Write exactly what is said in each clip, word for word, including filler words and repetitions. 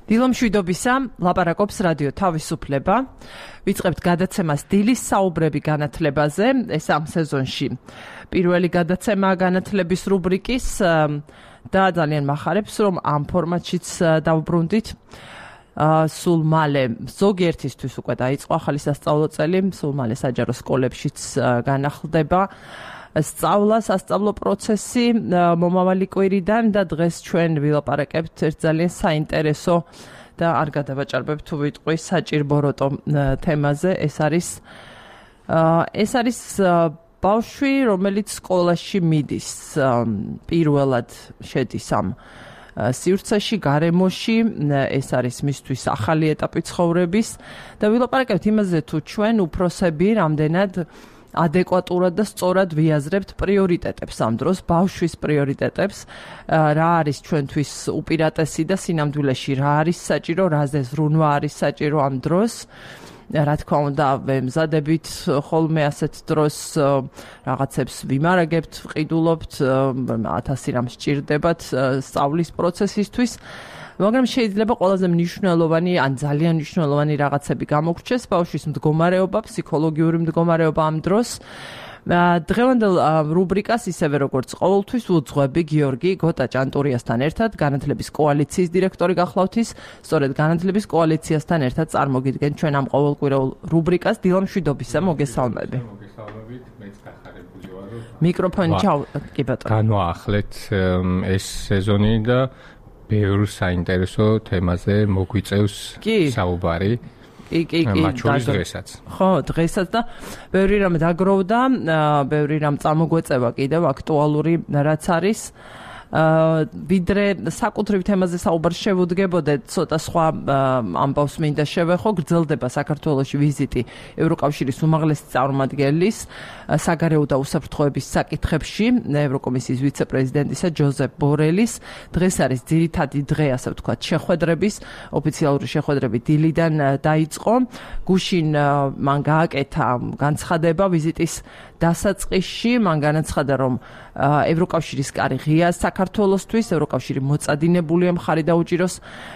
დილომშვიდობისა, ლაპარაკობს რადიო თავისუფლება. ვიწყებთ გადაცემას დილის საუბრები განათლებაზე, ეს ამ სეზონში. პირველი გადაცემა განათლების რუბრიკის და ძალიან მახარებს, რომ ამ ფორმატშიც დავბრუნდით. სულ მალე ზოგიერთისთვის უკვე დაიწყო ახალი სასწავლო წელი, სულ მალე საჯარო სკოლებშიც განახლდება სწავლა, სასწავლო პროცესი მომავალი კვირიდან და დღეს ჩვენ ვილაპარაკებთ ერთ ძალიან საინტერესო და არ გადავაჭარბებ თუ ვიტყვი საჭირბოროტო თემაზე. ეს არის ეს არის ბავშვი, რომელიც სკოლაში მიდის, პირველად შედის ამ სივრცეში, გარემოში, ეს არის მისთვის ახალი ეტაპი ცხოვრების და ვილაპარაკებთ იმაზე, თუ ჩვენ უფროსები რამდენად ადეკვატურად და სწორად ვიაზრებთ პრიორიტეტებს ამ დროს, ბავშვის პრიორიტეტებს, რა არის ჩვენთვის უპირატესი და სინამდვილეში რა არის საჭირო, რაზე ზრუნვა არის საჭირო ამ დროს. რა თქმა უნდა, ვემზადებით ხოლმე ასეთ დროს რაღაცებს ვიმარაგებთ, ვყიდულობთ, ათასი რამ სჭირდებათ სწავლის პროცესისთვის. მაგრამ შეიძლება ყველაზე მნიშვნელოვანი ან ძალიან მნიშვნელოვანი რაღაცები გამოგრჩეს ბავშვის მდგომარეობა, ფსიქოლოგიური მდგომარეობა ამ დროს. დღევანდელ რუბრიკას ისევე როგორც ყოველთვის უძღვები გიორგი გოტა ჭანტურიასთან ერთად, განათლების კოალიციის დირექტორი გახლავთ ის, სწორედ განათლების კოალიციასთან ერთად წარმოგიდგენ ჩვენ ამ ყოველკვირეულ რუბრიკას დილომშვიდობისა, მოგესალმები. მოგესალმებით, მეც გახარებული ვარ. მიკროფონი ჩავ კი ბატონო. განვაახლეთ ეს სეზონი და ბევრ საინტერესო თემაზე მოგვიწევს საუბარი. კი, კი, კი. მათ შორის დღესაც. ხო, დღესაც და ბევრი რამ დაგროვდა, ბევრი რამ წამოგვეწევა კიდევ აქტუალური რაც არის. ვიდრე საკუთრივ თემაზე საუბარ შევუდგებოდეთ, ცოტა სხვა ამბავს მინდა შევეხო. გრძელდება საქართველოში ვიზიტი ევროკავშირის უმაღლესი წარმომადგენლის საგარეო და უსაფრთხოების საკითხებში, ევროკომისიის ვიცე-პრეზიდენტისა ჯოზეფ ბორელის. დღეს არის ძირითადი დღე, ასე ვთქვათ, შეხვედრების, ოფიციალური შეხვედრები დილიდან დაიწყო. გუშინ მან გააკეთა განცხადება ვიზიტის დასაწყისში, მან განაცხადა, რომ ევროკავშირის კარი ღია საქართველოსთვის, ევროკავშირი მოწადინებულია მხარი დაუჭიროს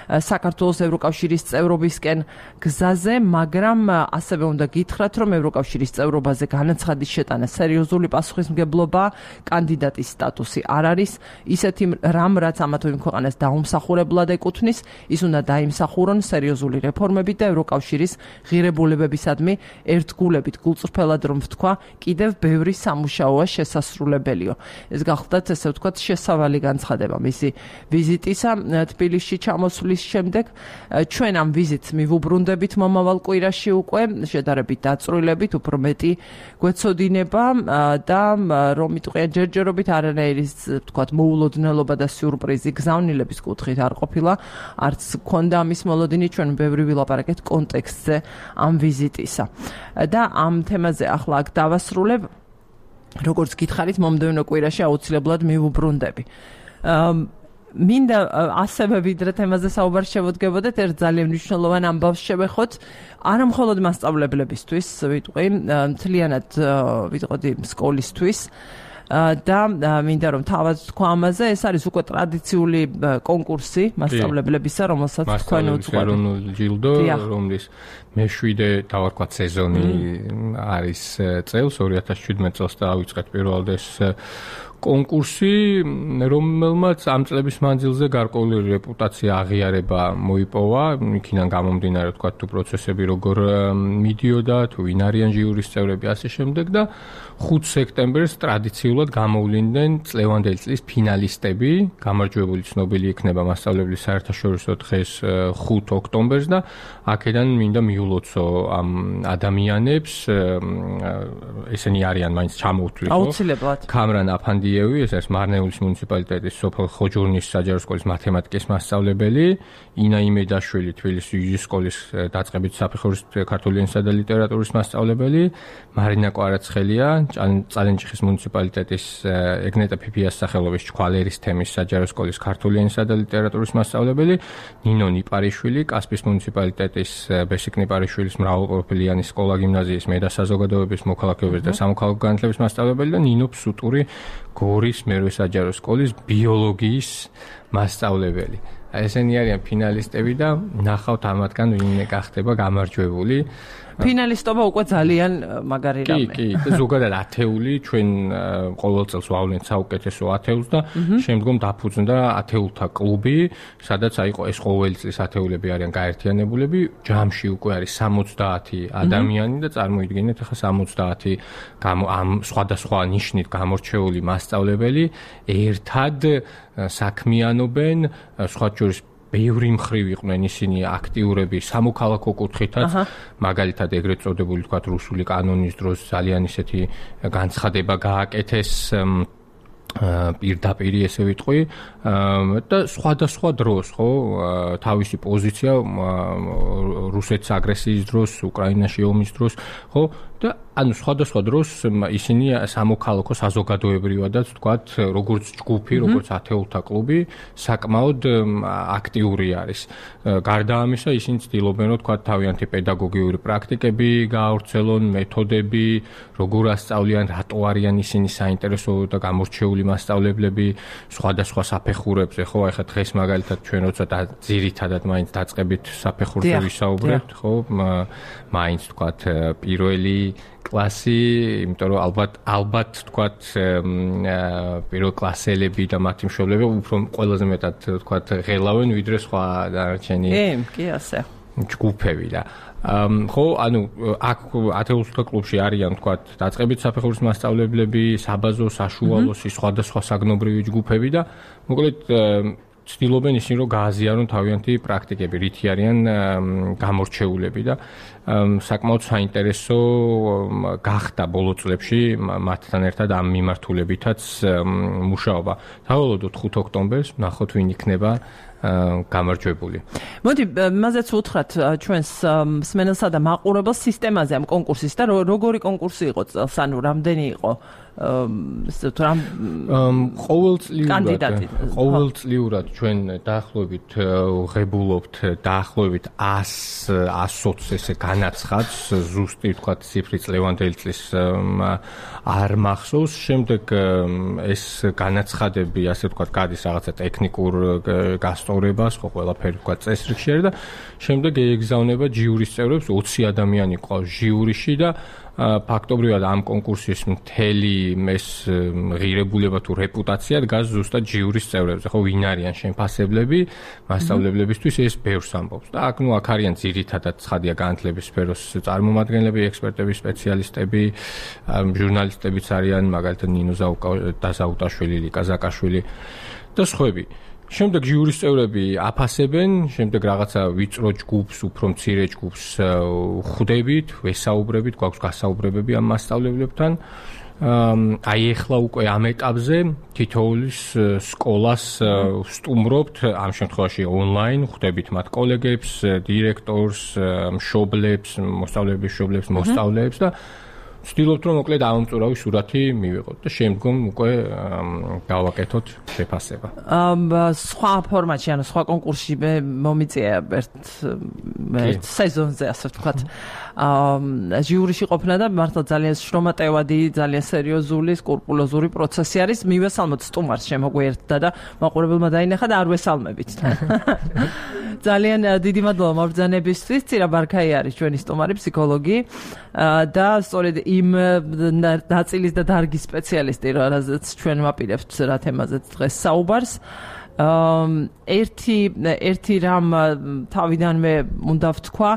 საქართველოს ევროკავშირის წევრობისკენ გზაზე, მაგრამ ასევე უნდა გითხრათ, რომ ევროკავშირის წევრობაზე განაცხადის შეტანა სერიოზული პასუხისმგებლობა, კანდიდატის სტატუსი არ არის ისეთი რამ, რაც ამა თუ იმ ქვეყანას დაუმსახურებლად ეკუთვნის, ის უნდა დაიმსახურონ სერიოზული რეფორმები და ევროკავშირის ღირებულებებისადმი ერთგულებით, გულწრფელად რომ ვთქვა, კიდევ ბევრი სამუშაოა შესასრულებელიო. ეს გახლდათ, ესე ვთქვათ, შესავალი განცხადება მისი ვიზიტისა თბილისში ჩამოსვლის შემდეგ. ჩვენ ამ ვიზიტს მივუბრუნდებით მომავალ კვირაში უკვე, შედარებით დაწვრილებით, უფრო მეტი გვეცოდინება და რომ იტყვიან ჯერჯერობით არანაირი, ვთქვათ, მოულოდნელობა და სიურპრიზი გზავნილების კუთხით არ ყოფილა, არც ქონდა ამის მოლოდინი, ჩვენ ბევრი ვილაპარაკეთ კონტექსტზე ამ ვიზიტისა. და ამ თემაზე ახლა აქ დავასრულებ. როგორც გითხარით, მომდევნო კვირაში აუცილებლად მივუბრუნდები. მინდა ასევე ვიდრე თემაზე საუბარ შევუდგებოდეთ, ერთ ძალიან მნიშვნელოვან ამბავს შევეხოთ, არა მხოლოდ მასწავლებლებისთვის, ვიტყვი, მთლიანად ვიტყოდი სკოლისთვის. და მინდა რომ თავად თქვა ამაზე, ეს არის უკვე ტრადიციული კონკურსი მასწავლებლებისა, რომელსაც თქვენ უძღვებით. ეროვნული ჯილდო, რომლის მეშვიდე დავარქვათ სეზონი არის წელს, ორი ათას შვიდმეტ წელს დაავიწყეთ პირველად ეს კონკურსი, რომელმაც ამ წლების მანძილზე გარკვეული რეპუტაცია, აღიარება მოიპოვა, იქიდან გამომდინარე, ვთქვათ, თუ პროცესები როგორ მიდიოდა, თუ ვინ არიან ჟიურის წევრები, ასე შემდეგ და ხუთი სექტემბერს ტრადიციულად გამოვლინდნენ წლევანდელი წლის ფინალისტები, გამარჯვებული ცნობილი იქნება მასწავლებლის საერთაშორისო დღეს ხუთი ოქტომბერს და აქედან მინდა მიულოცო ამ ადამიანებს, ესენი არიან მაინც ჩამოვთვლი, ხო? აუცილებლად. კამრან აფანდიევი, ეს არის მარნეულის მუნიციპალიტეტის სოფელ ხოჯურნის საჯარო სკოლის მათემატიკის მასწავლებელი, ინა იმედაშვილი თბილისის იუჟის სკოლის დაწყებით საფეხურის ქართული ენისა და ლიტერატურის მასწავლებელი, მარინა კვარაცხელია, წალენჭიხის მუნიციპალიტეტის ეგნეტა ფიფიას სახელობის ჩქვალერის თემის საჯარო სკოლის ქართული ენისა და ლიტერატურის მასწავლებელი, ნინო ნიპარიშვილი, კასპის მუნიციპალიტეტის ბესიკ ნიპარიშვილის მრავალპროფილიანი სკოლა გიმნაზიის მე და საზოგადოების მოქალაქეობის და სამოქალაქო განათლების მასწავლებელი და ნინო ფსუტური გორის მერვე საჯარო სკოლის ბიოლოგიის მასწავლებელი. ესენი არიან ფინალისტები და ნახავთ ამათგან ვინ გახდება გამარჯვებული. ფინალისტობა უკვე ძალიან მაგარი რამე. კი, კი, ზოგადად ათეული ჩვენ ყოველ წელს ვავლენთ საუკეთესო ათეულს და შემდგომ დაფუძნდა ათეულთა კლუბი, სადაც აიყო ეს ყოველი წლის ათეულები არიან გაერთიანებულები, ჯამში უკვე არის სამოცდაათი ადამიანი და წარმოიდგინეთ ახლა სამოცდაათი ამ სხვადასხვა ნიშნით გამორჩეული მასწავლებელი ერთად საქმიანობენ, სხვა შორის ბევრი მხრივ იყვნენ ისინი აქტიურები სამოქალაქო კუთხითაც, მაგალითად ეგრეთ წოდებული თქვათ რუსული კანონის დროს ძალიან ისეთი განცხადება გააკეთეს პირდაპირ ესე ვიტყვი და სხვადასხვა დროს ხო თავისი პოზიცია რუსეთის აგრესიის დროს, უკრაინაში ომის დროს ხო და ანუ სხვადასხვა დროს ისინი სამოქალაქო საზოგადოებრივადაც თქვათ როგორც ჯგუფი, როგორც ათეულთა კლუბი საკმაოდ აქტიური არის. გარდა ამისა ისინი ცდილობენ რომ თქვათ თავიანთი პედაგოგიური პრაქტიკები გაავრცელონ, მეთოდები, როგორ ასწავლიან, რატო არიან ისინი საინტერესო და გამორჩეული მასწავლებლები სხვადასხვა საფეხურებზე, ხო, ახლა დღეს მაგალითად ჩვენ როცა ძირითადად მაინც დაწყებით საფეხურზე ვისაუბრებთ, ხო, მაინც თქვათ პირველი კლასი, იმიტომ რომ ალბათ ალბათ თქვათ პირველ კლასელები და მათი მშობლები უფრო ყველაზე მეტად თქვათ ღელავენ ვიდრე სხვა დანარჩენი კი, ასე. ჯგუფები და ხო, ანუ აქ ათეულთა კლუბში არიან თქვათ დაწყებით საფეხურის მასწავლებლები, საბაზო, საშუალო, სხვადასხვა საგნობრივი ჯგუფები და მოკლედ ცდილობენ ისინი რომ გააზიარონ თავიანთი პრაქტიკები, რითი არიან გამორჩეულები და საკმაოდ საინტერესო გახდა ბოლო წლებში მათთან ერთად ამ მიმართულებითაც მუშაობა. დავველოდოთ ხუთ ოქტომბერს, ნახოთ ვინ იქნება გამარჯვებული. მოდი, მაზეც უთხრათ ჩვენს მსმენელსა და მაყურებელს სისტემაზე ამ კონკურსის და როგორი კონკურსი იყო წელს, ანუ რამდენი იყო ყოველწლიურად ყოველწლიურად ჩვენ დაახლოებით ღებულობთ დაახლოებით ას ოცს ესე განაცხადს, ზუსტი თქვათ ციფრი წლევანდელი წლის არ მახსოვს. შემდეგ ეს განაცხადები ასე თქვათ გადის რაღაცა ტექნიკურ გასწორებას, ხო ყველაფერი თქვათ წესრიგში და შემდეგ ეგზავნება ჯიურის წევრებს, ოცი ადამიანი ყავს ჟიურიში და ფაქტობრივად ამ კონკურსის მთელი ეს ღირებულება თუ რეპუტაცია დგას ზუსტად ჯიურის წევრებზე, ხო ვინ არიან შემფასებლები მასწავლებლებისთვის ეს ბევრს ამბობს. და აქ ნუ აქ არიან ძირითადად ცხადია განათლების სფეროს წარმომადგენლები, ექსპერტები, სპეციალისტები, ჟურნალისტებიც არიან, მაგალითად ნინო ზაუტაშვილი, ლიკა ზაკაშვილი და სხვები. შემდეგ ჟიურის წევრები აფასებენ, შემდეგ რაღაცა ვიწრო ჯგუფს, უფრო მცირე ჯგუფს ხვდებით, ვესაუბრებით, გვაქვს გასაუბრებები ამ მასწავლებლებთან. აი ეხლა უკვე ამ ეტაპზე თითოეულის სკოლას ვსტუმრობთ, ამ შემთხვევაში ონლაინ, ხვდებით მათ კოლეგებს, დირექტორს, მშობლებს, მოსწავლეების მშობლებს, მოსწავლეებს და ვცდილობთ რომ მოკლედ ამომწურავი სურათი მივიღოთ და შემდგომ უკვე გავაკეთოთ შეფასება. სხვა ფორმატში, ანუ სხვა კონკურსში მე მომიწია ერთ ერთ სეზონზე, ასე ვთქვათ. ჟიურიში ყოფნა და მართლა ძალიან შრომატევადი, ძალიან სერიოზული, სკრუპულოზური პროცესი არის. მივესალმოთ სტუმარს შემოგვიერთდა და მაყურებელმა დაინახა და არ ვესალმებით. ძალიან დიდი მადლობა მობრძანებისთვის. ცირა ბარქაი არის ჩვენი სტუმარი, ფსიქოლოგი და სწორედ იმ ნაწილის და დარგის სპეციალისტი, რაზეც ჩვენ ვაპირებთ რა თემაზეც დღეს საუბარს. ერთი ერთი რამ თავიდანვე უნდა ვთქვა,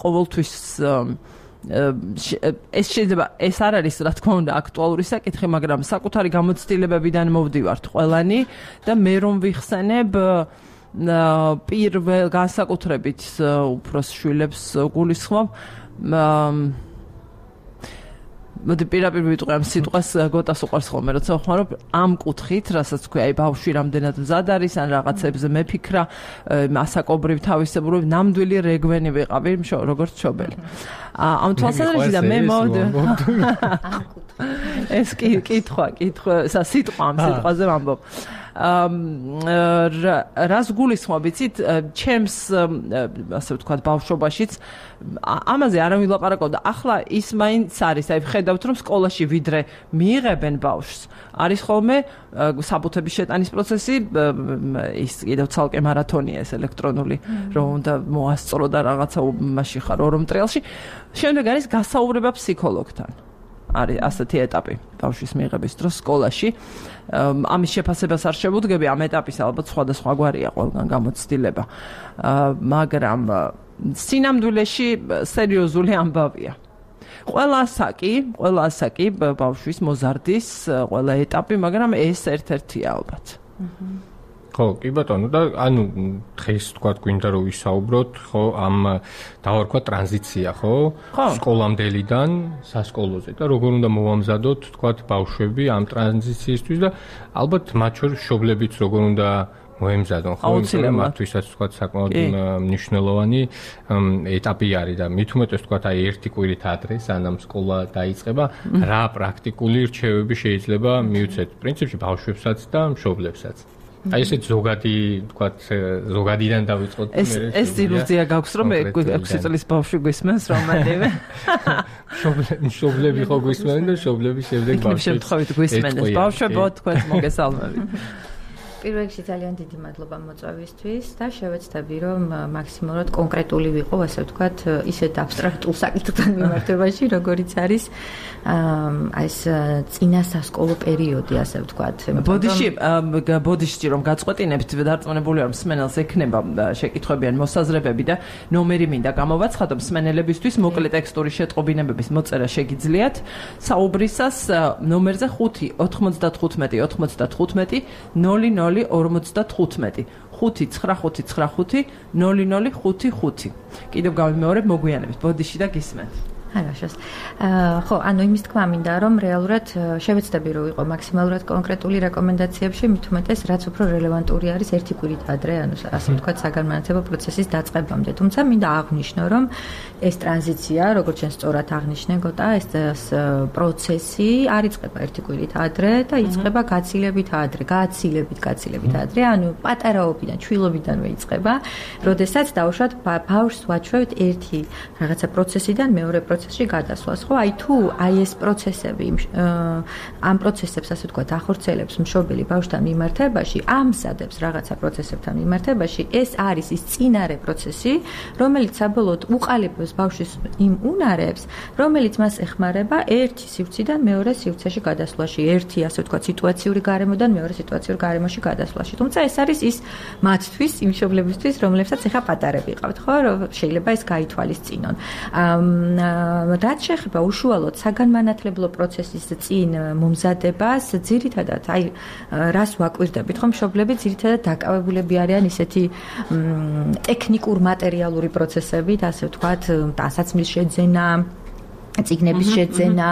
ყოველთვის ეს შეიძლება ეს არ არის რა თქმა უნდა აქტუალური საკითხი, მაგრამ საკუთარი გამოცდილებებიდან მოვდივართ ყველანი და მე რომ ვიხსენებ პირველ განსაკუთრებით უფროს შვილებს გულისხმობ. მოდი პირაპირ ვიტყვი ამ სიტყვას, გოტას უყვარს ხოლმე როცა ვხმარობ ამ კუთხით, რასაც ქვია, აი ბავშვი რამდენად მზად არის, ან რაღაცებზე მეფიქრა, ასაკობრივ თავისებურებ ნამდვილი რეგვენი ვიყავი, როგორც მშობელი. ამ თვალსაზრისით და მე მოვდი ეს კი კითხვა, კითხვა, სიტყვა ამ სიტყვაზე ვამბობ. რას გულისხმობ, იცით, ჩემს ასე ვთქვათ, ბავშვობაშიც ამაზე არ ვილაპარაკობდა. ახლა ის მაინც არის, აი ხედავთ რომ სკოლაში ვიდრე მიიღებენ ბავშვს, არის ხოლმე საბუთების შეტანის პროცესი, ის კიდევ ცალკე მარათონია ეს ელექტრონული, რომ უნდა მოასწრო და რაღაცა მასში ხარ ორ მტრიალში. შემდეგ არის გასაუბრება ფსიქოლოგთან. არის ასეთი ეტაპი ბავშვის მიიღების დროს სკოლაში. ამის შეფასებას არ შევუდგები, ამ ეტაპის ალბათ სხვადასხვაგვარია ყველგან გამოცდილება. მაგრამ სინამდვილეში სერიოზული ამბავია. ყველა ასაკი, ყველა ასაკი ბავშვის მოზარდის ყველა ეტაპი, მაგრამ ეს ერთ-ერთია ალბათ. ხო, კი ბატონო, და ანუ დღეს თქვა გვინდა რომ ვისაუბროთ, ხო, ამ დავარქვა ტრანზიცია, ხო? სკოლამდელიდან სასკოლოზე და როგორ უნდა მოვამზადოთ, თქვა ბავშვები ამ ტრანზიციისთვის და ალბათ მათ შორის მშობლებიც როგორ უნდა მოემზადონ, ხო? მათთვისაც თქვა საკმაოდ მნიშვნელოვანი ეტაპი არის და მით უმეტეს თქვა აი ერთი კვირით ადრე, სანამ სკოლა დაიწყება, რა პრაქტიკული რჩევები შეიძლება მიუცეთ პრინციპში ბავშვებსაც და მშობლებსაც. აი ესეთ ზოგადი, თქვათ, ზოგადიდან დავიწყოთ მე. ეს ეს ილუზია გაქვს, რომ ექვსი წლის ბავშვი გვისმენს რომანტივე. მშობლები ხო გვისმენენ და მშობლები შემდეგ ბავშვებს. იქნებ შემთხვევით გვისმენდეს. ბავშვებო, თქვენ მოგესალმებით. პირველ რიგში ძალიან დიდი მადლობა მოწვევისთვის და შევეცდები რომ მაქსიმალურად კონკრეტული ვიყო, ასე ვთქვათ, ისეთ აბსტრაქტულ საკითხთან მიმართებაში, როგორიც არის აი ეს წინა სასკოლო პერიოდი, ასე ვთქვათ. ბოდიში, ბოდიში რომ გაწყვეტინებთ, დარწმუნებული ვარ, მსმენელს ექნება შეკითხვები ან მოსაზრებები და ნომერი მინდა გამოვაცხადო მსმენელებისთვის, მოკლე ტექსტური შეტყობინებების მოწერა შეგიძლიათ. საუბრისას ნომერზე ხუთი ოთხმოცდათხუთმეტი ოთხმოცდათხუთმეტი ნული ნული ორმოცდათხუთმეტი ხუთი ცხრა ხუთი ცხრა ხუთი ნული ნული ხუთი ხუთი. კიდევ გავიმეორებ მოგვიანებით, ბოდიში და გისმენთ. Хорошо. ხო, ანუ იმის თქვა მინდა, რომ რეალურად შევეცდები რომ ვიყო მაქსიმალურად კონკრეტული რეკომენდაციებში, მით უმეტეს რაც უფრო რელევანტური არის ერთი კვირით ადრე, ანუ ასე ვთქვათ, საგანმანათლებლო პროცესის დაწყებამდე. თუმცა მინდა აღვნიშნო, რომ ეს ტრანზიცია, როგორც ჩვენ სწორად აღნიშნე გოტა, ეს პროცესი არ იწყება ერთი კვირით ადრე და იწყება გაცილებით ადრე, გაცილებით, გაცილებით ადრე, ანუ პატარაობიდან, ჩვილობიდანვე იწყება, როდესაც დავუშვათ ბავშვს ვაჩვევთ ერთი რაღაცა პროცესიდან მეორე პროცესში გადასვლას, ხო? აი თუ აი ეს პროცესები ამ პროცესებს ასე ვთქვათ, ახორციელებს მშობელი ბავშვთან მიმართებაში, ამზადებს რაღაცა პროცესებთან მიმართებაში, ეს არის ის წინარე პროცესი, რომელიც საბოლოოდ უყალიბებს ბავშვის იმ უნარებს, რომელიც მას ეხმარება ერთი სივრციდან მეორე სივრცეში გადასვლაში, ერთი ასე ვთქვათ, სიტუაციური გარემოდან მეორე სიტუაციური გარემოში გადასვლაში. თუმცა ეს არის ის მათთვის, იმ მშობლებისთვის, რომლებსაც ეხა პატარები ყავთ, ხო? რომ შეიძლება ეს გაითვალისწინონ. რაც შეეხება უშუალოდ საგანმანათლებლო პროცესის წინ მომზადებას, ძირითადად აი რას ვაკვირდებით, ხომ მშობლები ძირითადად დაკავებულები არიან ისეთი ტექნიკურ მატერიალური პროცესებით, ასე ვთქვათ, ტანსაცმლის შეძენა, წიგნების შეძენა,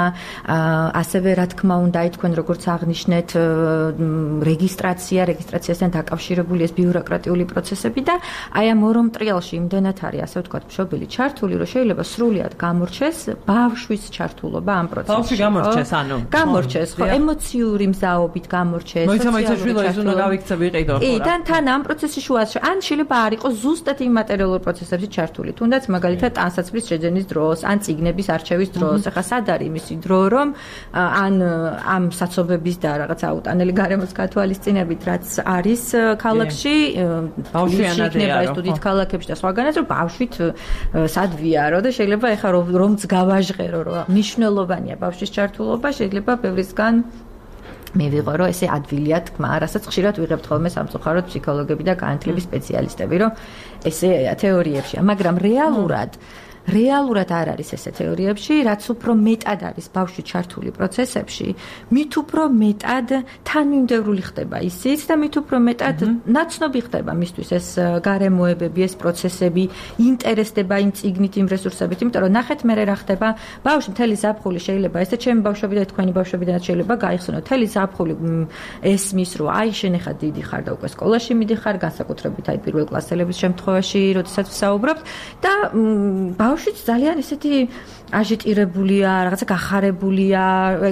ასევე რა თქმა უნდა, აი თქვენ როგორც აღნიშნეთ, რეგისტრაცია, რეგისტრაციასთან დაკავშირებული ეს ბიუროკრატიული პროცესები და აი ამ ორ მტრიალში იმდენად არის, ასე ვთქვათ, მშობელი ჩართული, რომ შეიძლება სრულად გამორჩეს ბავშვის ჩართულობა ამ პროცესში. ბავშვი გამორჩეს, ანუ გამორჩეს, ხო, ემოციური მზაობით გამორჩეს, სოციალური ჩართულობა გავიქცა ვიყიდო, ხო. კი, და თან ამ პროცესში შუაში, ან შეიძლება არ იყოს ზუსტად იმ მატერიალურ პროცესებში ჩართული, თუნდაც მაგალითად ტანსაცმლის შეძენის დროს, ან წიგნების არჩევის დროს, ახლა სად არის მისი დრო, რომ ან ამ საცობების და რაღაც აუტანელი გარემოს გათვალისწინებით, რაც არის ქალაქში, ბავშვიანადია, სტუდიით ქალაქებში და სხვაგანაც, რომ ბავშვით სად ვიარო და შეიძლება ახლა რომც გავაჟღერო, რომ მნიშვნელოვანია ბავშვის ჩართულობა, შეიძლება ბევრისგან მე ვიღო, რომ ესე ადვილია თქმა, რასაც ხშირად ვიღებთ ხოლმე სამწუხაროდ ფსიქოლოგები და განათლების სპეციალისტები, რომ ესე თეორიებშია, მაგრამ რეალურად რეალურად არ არის ესე თეორიებში, რაც უფრო მეტად არის ბავშვი ჩართული პროცესებში, მით უფრო მეტად თანმიმდევრული ხდება ისიც და მით უფრო მეტად ნაცნობი ხდება მისთვის ეს გარემოებები, ეს პროცესები, ინტერესდება იმ წიგნით, იმ რესურსებით, იმიტომ რომ ნახეთ მე რა ხდება, ბავშვი მთელი ზაფხული შეიძლება ესე ჩემი ბავშვები და თქვენი ბავშვებიდანაც შეიძლება გაიხსენოთ, მთელი ზაფხული ესმის, რომ აი შენ ახლა დიდი ხარ და უკვე სკოლაში მიდიხარ, განსაკუთრებით აი პირველ კლასელების შემთხვევაში, როდესაც ვსაუბრობთ და ბავშვიც ძალიან ესეთი აჟიტირებულია, რაღაცა გახარებულია,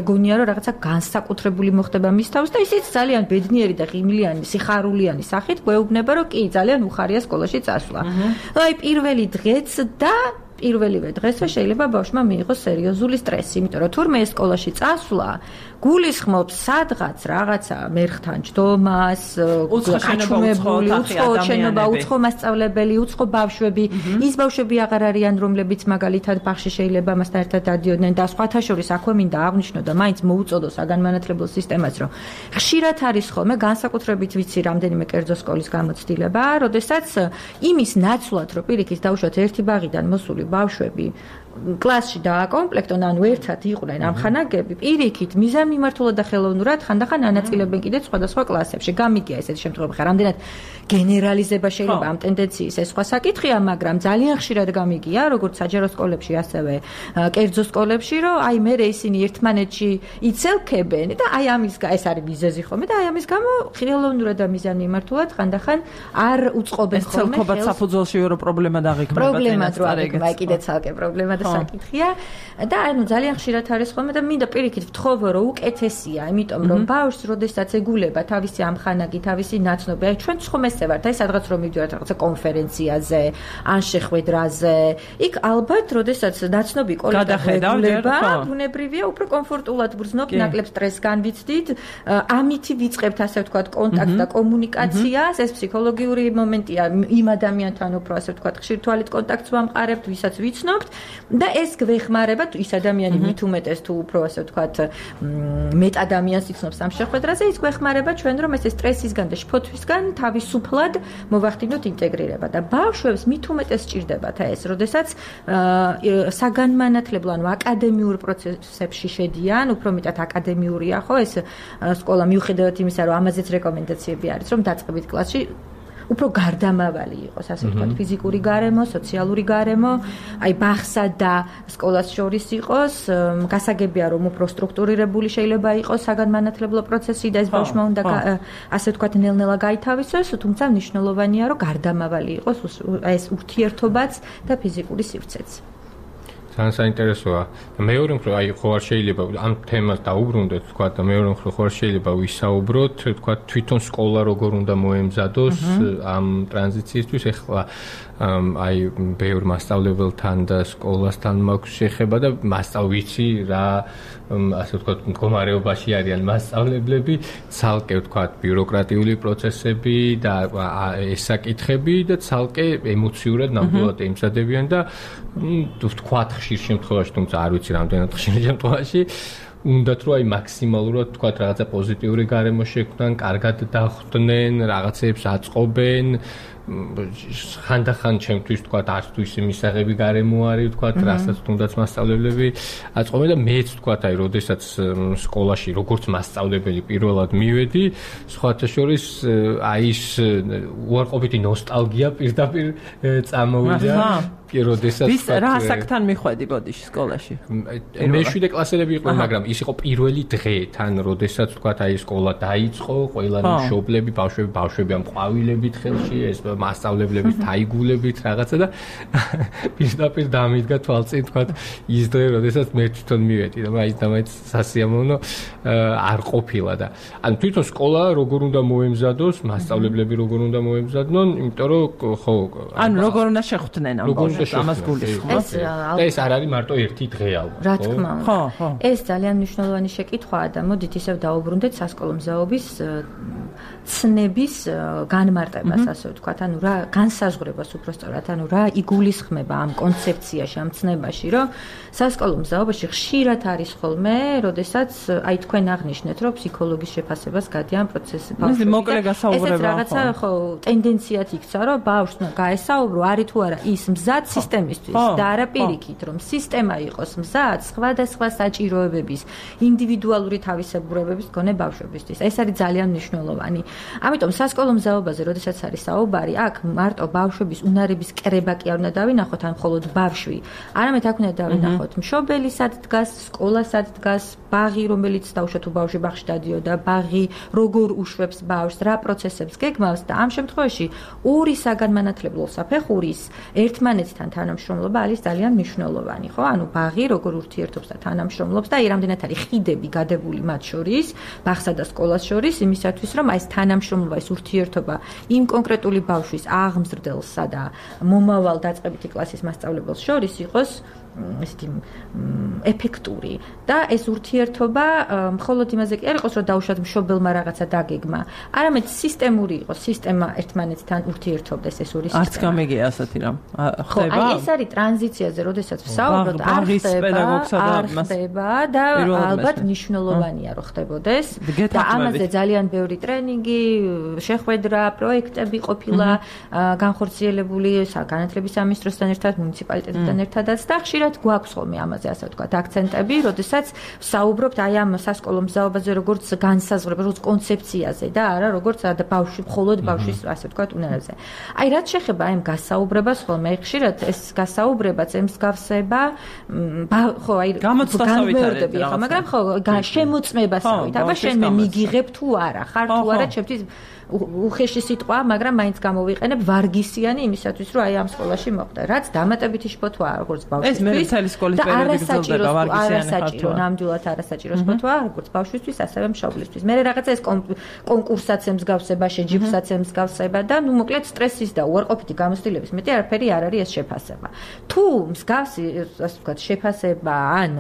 ეგონია რომ რაღაცა განსაკუთრებული მოხდება მის თავს და ისიც ძალიან ბედნიერი და ღიმლიანი, სიხარულიანი სახით გვეუბნება, რომ კი, ძალიან უხარია სკოლაში წასვლა. აი პირველი დღეც და პირველივე დღესვე შეიძლება ბავშვმა მიიღოს სერიოზული სტრესი, იმიტომ რომ თურმე ეს სკოლაში წასვლა გულისხმობს სადღაც რაღაცა მერხთან ჯდომას, გაჩუმებული, უცხო შენობა, უცხო მასწავლებელი, უცხო ბავშვები, ის ბავშვები აღარ არიან, რომლებიც მაგალითად ბაღში შეიძლება მასთან ერთად დადიოდნენ და სხვათა შორის აქვე მინდა აღვნიშნო და მაინც მოუწოდო საგანმანათლებლო სისტემას, რომ ხშირად არის ხოლმე განსაკუთრებით ვიცი რამდენიმე კერძო სკოლის გამოცდილება, როდესაც იმის ნაცვლად, რომ პირიქით დაუშვათ ერთი ბაღიდან მოსული ბავშვები კლასში დააკომპლექტონ, ანუ ერთად იყვნენ ამხანაგები, პირიქით მიზანმიმართულად და ხელოვნურად ხანდახან ანაწილებენ კიდე სხვადასხვა კლასებში. გამიგია ესეთი შემთხვევები, ხარ რამდენად გენერალიზება შეიძლება ამ ტენდენციის, ეს სხვა საკითხია, მაგრამ ძალიან ხშირად გამიგია, როგორც საჯარო სკოლებში, ასევე კერძო სკოლებში, რომ აი მე ისინი ერთმანეთში იცელქებენ და აი ამის ეს არის მიზეზი ხოლმე და აი ამის გამო ხელოვნურად და მიზანმიმართულად ხანდახან არ უწყობენ ხოლმე. ეს ცალკეულად საფუძველში რო პრობლემა დაღიქმება. პრობლემა რო აღიქმება, კიდე ცალკე პრობლემა საკითხია და ანუ ძალიან ხშირად არის ხოლმე და მინდა პირიქით ვთხოვო რომ უკეთესია, იმიტომ რომ ბავშვს როდესაც ეგულება თავისი ამხანაგი, თავისი ნაცნობი, აი ჩვენ ხომესე ვართ, აი სადღაც რომ მივდივართ რაღაცა კონფერენციაზე, ან შეხვედრაზე, იქ ალბათ როდესაც ნაცნობი კოლეგა ეგულება, ბუნებრივია უფრო კომფორტულად გრძნობთ, ნაკლებ სტრესს განვიცდით, ამითი ვიწყებთ ასე ვთქვათ კონტაქტს და კომუნიკაციას, ეს ფსიქოლოგიური მომენტია, იმ ადამიანთან უფრო ასე ვთქვათ ხშირ თვალით კონტაქტს ვამყარებთ, ვისაც ვიცნობთ და ეს გვეხმარება ის ადამიანი მით უმეტეს თუ უფრო ასე ვთქვათ მეტ ადამიანს იცნობს ამ შეხვედრაზე, ის გვეხმარება ჩვენ რომ ეს სტრესისგან და შფოთვისგან თავისუფლად მოვახდინოთ ინტეგრირება და ბავშვებს მით უმეტეს სჭირდებათ ეს, როდესაც საგანმანათლებლო ანუ აკადემიურ პროცესებში შედიან, უფრო მეტად აკადემიურია ხო ეს სკოლა მიუხედავად იმისა რომ ამაზეც რეკომენდაციები არის რომ დაწყებით კლასში უფრო გარდამავალი იყოს, ასე ვთქვათ, ფიზიკური გარემო, სოციალური გარემო, აი ბაღსა და სკოლას შორის იყოს, გასაგებია რომ უფრო სტრუქტურირებული შეიძლება იყოს საგანმანათლებლო პროცესი და ეს ბავშვმა უნდა ასე ვთქვათ ნელ-ნელა გაითავისოს, თუმცა მნიშვნელოვანია რომ გარდამავალი იყოს ეს ურთიერთობაც და ფიზიკური სივრცეც. ძალიან საინტერესოა. მეორე მხრივ აი ხო არ შეიძლება ამ თემას დაუბრუნდეთ, თქვა და მეორე მხრივ ხო არ შეიძლება ვისაუბროთ, თქვა თვითონ სკოლა როგორ უნდა მოემზადოს ამ ტრანზიციისთვის. ეხლა აი ბევრ მასწავლებელთან და სკოლასთან მაქვს შეხება და მასწავლიცი რა ასე ვთქვათ მდგომარეობაში არიან მასწავლებლები, ცალკე ვთქვათ ბიუროკრატიული პროცესები და ეს საკითხები და ცალკე ემოციურად ნამდვილად ემზადებიან და ვთქვათ ხშირ შემთხვევაში, თუმცა არ ვიცი რამდენად ხშირ შემთხვევაში უნდათ რომ აი მაქსიმალურად ვთქვათ რაღაცა პოზიტიური გარემო შექმნან, კარგად დახვდნენ, რაღაცეებს აწყობენ. ხანდახან ჩემთვის ვთქვათ არც თუ ისე მისაღები გარემო არის ვთქვათ, რასაც თუნდაც მასწავლებლები აწყობენ და მეც ვთქვათ აი როდესაც სკოლაში როგორც მასწავლებელი პირველად მივედი, სხვათა შორის აი ეს უარყოფითი ნოსტალგია პირდაპირ წამოვიდა. როდესაც ვის რა ასაკთან მიხვედი ბოდიში სკოლაში? მეშვიდე კლასელები იყვნენ, მაგრამ ის იყო პირველი დღე, თან როდესაც ვთქვათ აი სკოლა დაიწყო, ყველანი მშობლები, ბავშვები, ბავშვები ამ ყვავილებით ხელში, ეს მასწავლებლების თაიგულებით რაღაცა და პირდაპირ დამიდგა თვალწინ ვთქვათ ის დღე, როდესაც მე თვითონ მივედი და აი დამაიც სასიამოვნო არ ყოფილა და ანუ თვითონ სკოლა როგორ უნდა მოემზადოს, მასწავლებლები როგორ უნდა მოემზადნონ, იმიტომ რომ ხო ანუ როგორ უნდა შეხვდნენ ამ ბავშვებს ამას გულისხმობს. ეს არ არის მარტო ერთი დღე ალბათ. რა თქმა უნდა. ხო, ხო. ეს ძალიან მნიშვნელოვანი შეკითხვაა და მოდით ისევ დაუბრუნდეთ სასკოლო მზაობის ცნების განმარტებას, ასე ვთქვათ, ანუ რა განსაზღვრებას უბრალოდ, ანუ რა იგულისხმება ამ კონცეფციაში, ამ ცნებაში, რომ სასკოლო მზაობაში ხშირად არის ხოლმე, როდესაც აი თქვენ აღნიშნეთ, რომ ფსიქოლოგის შეფასებას გადიან პროცესი ბავშვები. მოკლე გასაუბრება. ეს რაღაცა ხო ტენდენციად იქცა, რომ ბავშვს გაესაუბრო, არის თუ არა ის მზად სისტემისთვის და არა პირიქით, რომ სისტემა იყოს მზად სხვადასხვა საჭიროებების, ინდივიდუალური თავისებურებების მქონე ბავშვებისთვის. ეს არის ძალიან მნიშვნელოვანი. მნიშვნელოვანი. ამიტომ სასკოლო მზაობაზე, როდესაც არის საუბარი, აქ მარტო ბავშვების უნარების კრება კი არ უნდა დავინახოთ, ან მხოლოდ ბავშვი. არამედ აქ უნდა დავინახოთ მშობელი სად დგას, სკოლა სად დგას, ბაღი, რომელიც დაუშვათ თუ ბავშვი ბაღში დადიოდა, ბაღი როგორ უშვებს ბავშვს, რა პროცესებს გეგმავს და ამ შემთხვევაში ორი საგანმანათლებლო საფეხურის ერთმანეთთან თანამშრომლობა არის ძალიან მნიშვნელოვანი, ხო? ანუ ბაღი როგორ ურთიერთობს და თანამშრომლობს და აი რამდენად არის ხიდები გადებული მათ შორის, ბაღსა და სკოლას შორის, იმისათვის რომ აი ეს თანამშრომლობა, ეს ურთიერთობა იმ კონკრეტული ბავშვის აღმზრდელსა და მომავალ დაწყებითი კლასის მასწავლებელს შორის იყოს ესეთი ეფექტური და ეს ურთიერთობა მხოლოდ იმაზე კი არ იყოს, რომ დაუშვათ მშობელმა რაღაცა დაგეგმა, არამედ სისტემური იყოს, სისტემა ერთმანეთთან ურთიერთობდეს ეს ორი სისტემა. არც გამიგია ასეთი რამ. ხო, აი ეს არის ტრანზიციაზე, როდესაც ვსაუბრობთ, არ ხდება და ალბათ მნიშვნელოვანია, რომ ხდებოდეს და ამაზე ძალიან ბევრი ტრენინგი, შეხვედრა, პროექტები ყოფილა განხორციელებული განათლების სამინისტროსთან ერთად, მუნიციპალიტეტთან ერთადაც და ხშირად გვაქვს ხოლმე ამაზე ასე ვთქვათ აქცენტები, როდესაც ვსაუბრობთ აი ამ სასკოლო მზაობაზე როგორც განსაზღვრება, როგორც კონცეფციაზე და არა როგორც ბავშვი, მხოლოდ ბავშვის ასე ვთქვათ უნარებზე. აი რაც შეეხება აი ამ გასაუბრებას ხოლმე ხშირად ეს გასაუბრებაც ემსგავსება ხო აი გამოცდასავითარები ხო, მაგრამ ხო შემოწმებასავით, აბა შენ მე მიგიღებ თუ არა, ხარ თუ არა ჩემთვის უხეში სიტყვა, მაგრამ მაინც გამოვიყენებ ვარგისიანი იმისათვის, რომ აი ამ სკოლაში მოხდა. რაც დამატებითი შფოთვა როგორც ბავშვისთვის. ეს მე მთელი სკოლის პერიოდი გრძელდება ვარგისიანი ხართვა. ნამდვილად არასაჭირო შფოთვა, როგორც ბავშვისთვის, ასევე მშობლისთვის. მე რაღაცა ეს კონკურსაც ემსგავსება, შეჯიბრსაც ემსგავსება და ნუ მოკლედ სტრესის და უარყოფითი გამოცდილების მეტი არაფერი არ არის ეს შეფასება. თუ მსგავსი, ასე ვთქვათ, შეფასება ან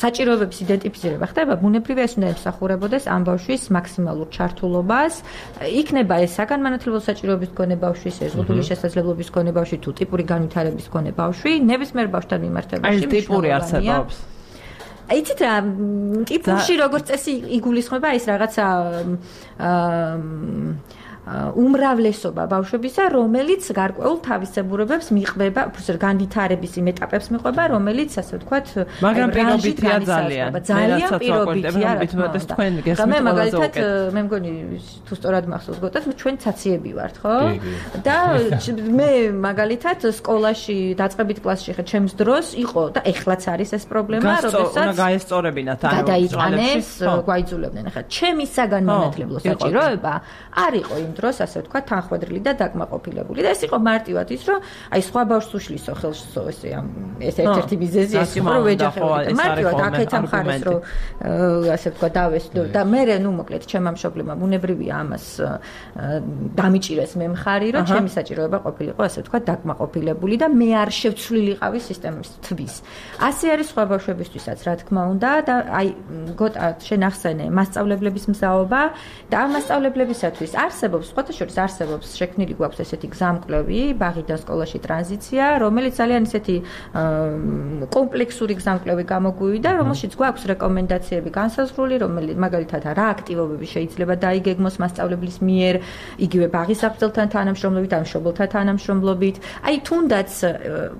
საჭიროებების იდენტიფიცირება ხდება, ბუნებრივია ეს უნდა ემსახურებოდეს ამ ბავშვის მაქსიმალურ ჩართულობას. იქნება ეს საგანმანათლებლო საჭიროების მქონე ბავშვი, შეზღუდული შესაძლებლობის მქონე ბავშვი თუ ტიპური განვითარების მქონე ბავშვი, ნებისმიერ ბავშვთან მიმართებაში. აი ტიპური არსებობს. იცით რა, ტიპურში როგორც წესი იგულისხმება ის რაღაცა უმრავლესობა ბავშვებისა, რომელიც გარკვეულ თავისებურებებს მიყვება, უბრალოდ განვითარების იმ ეტაპებს მიყვება, რომელიც ასე ვთქვათ, მაგრამ პირობითია ძალიან. ძალიან პირობითია, რა თქმა უნდა. თქვენ გესმით მე მაგალითად მე მგონი თუ სწორად მახსოვს გეტყვით, ჩვენ ცაციები ვართ, ხო? და მე მაგალითად სკოლაში დაწყებით კლასში ხე ჩემს დროს იყო და ეხლაც არის ეს პრობლემა, როდესაც უნდა გაესწორებინათ ანუ გადაიტანეს, გვაიძულებდნენ. ახლა ჩემი საგანმანათლებლო საჭიროება არ იყო იმ დროს ასე ვთქვათ თანხმდრილი და დაკმაყოფილებული და ეს იყო მარტივად ის რომ აი სხვა ბავშვს უშლისო ხელსო ესე ამ ეს ერთ-ერთი მიზეზი ეს იყო რომ ვეჯახებოდი მარტივად აქეთ ამხარეს რომ ასე ვთქვათ დავესწრო და მე ნუ მოკლედ ჩემმა მშობლებმა ბუნებრივია ამას დამიჭირეს მე მხარი რომ ჩემი საჭიროება ყოფილიყო ასე ვთქვათ დაკმაყოფილებული და მე არ შევცვლილიყავი სისტემის თვის ასე არის სხვა ბავშვებისთვისაც რა თქმა უნდა და აი გოტა შენ ახსენე მასწავლებლების მზაობა და ამ მასწავლებლებისათვის არსებობს სხვათა შორის არსებობს შექმნილი გვაქვს ესეთი გზამკვლევი ბაღიდან სკოლაში ტრანზიცია რომელიც ძალიან ესეთი კომპლექსური გზამკვლევი გამოგვივიდა რომელშიც გვაქვს რეკომენდაციები განსაზღვრული რომელიც მაგალითად რა აქტივობები შეიძლება დაიგეგმოს მასწავლებლის მიერ იგივე ბაღის საფუძველთან თანამშრომლობით ან მშობელთან თანამშრომლობით აი თუნდაც